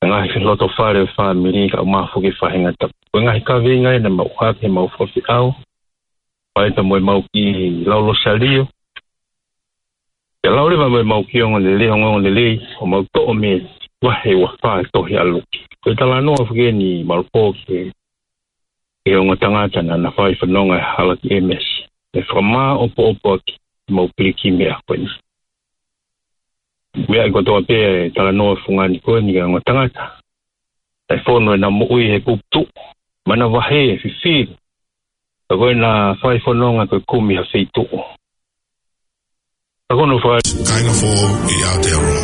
e ngaahi loto fale ʻo e fāmili, kau mafoki faʻahinga tapu. Ko e ngaahi kaveinga ia naʻa mau ʻohake heʻemau fakafeʻao, pea pehē mo ʻemau kiʻi lau Losalio, pea lau leva mo ʻemau kiʻi ongoongolelei, ongoongolelei, ʻo mau toʻo mei he vahe ua fā tohi ʻa Luke. Ko e talanoa foki eni Malopō ki he, ki he ongo tangata naʻa na fai fononga he hala ki ʻEmesi. ʻE fakamāʻopoʻopo ʻaki ʻemau pilikimi he ʻaho ko eni. Meʻa kotoa pē e talanoa fungani ko eni ki he ongo tangata. ʻE fonu ʻena moʻui he kupu tuʻu, manavahē, fifili. Ka ko ʻena fai fononga ko e kumi ha feituʻu. Ka ko hono fai. Kāinga foʻou ʻi Aotearoa.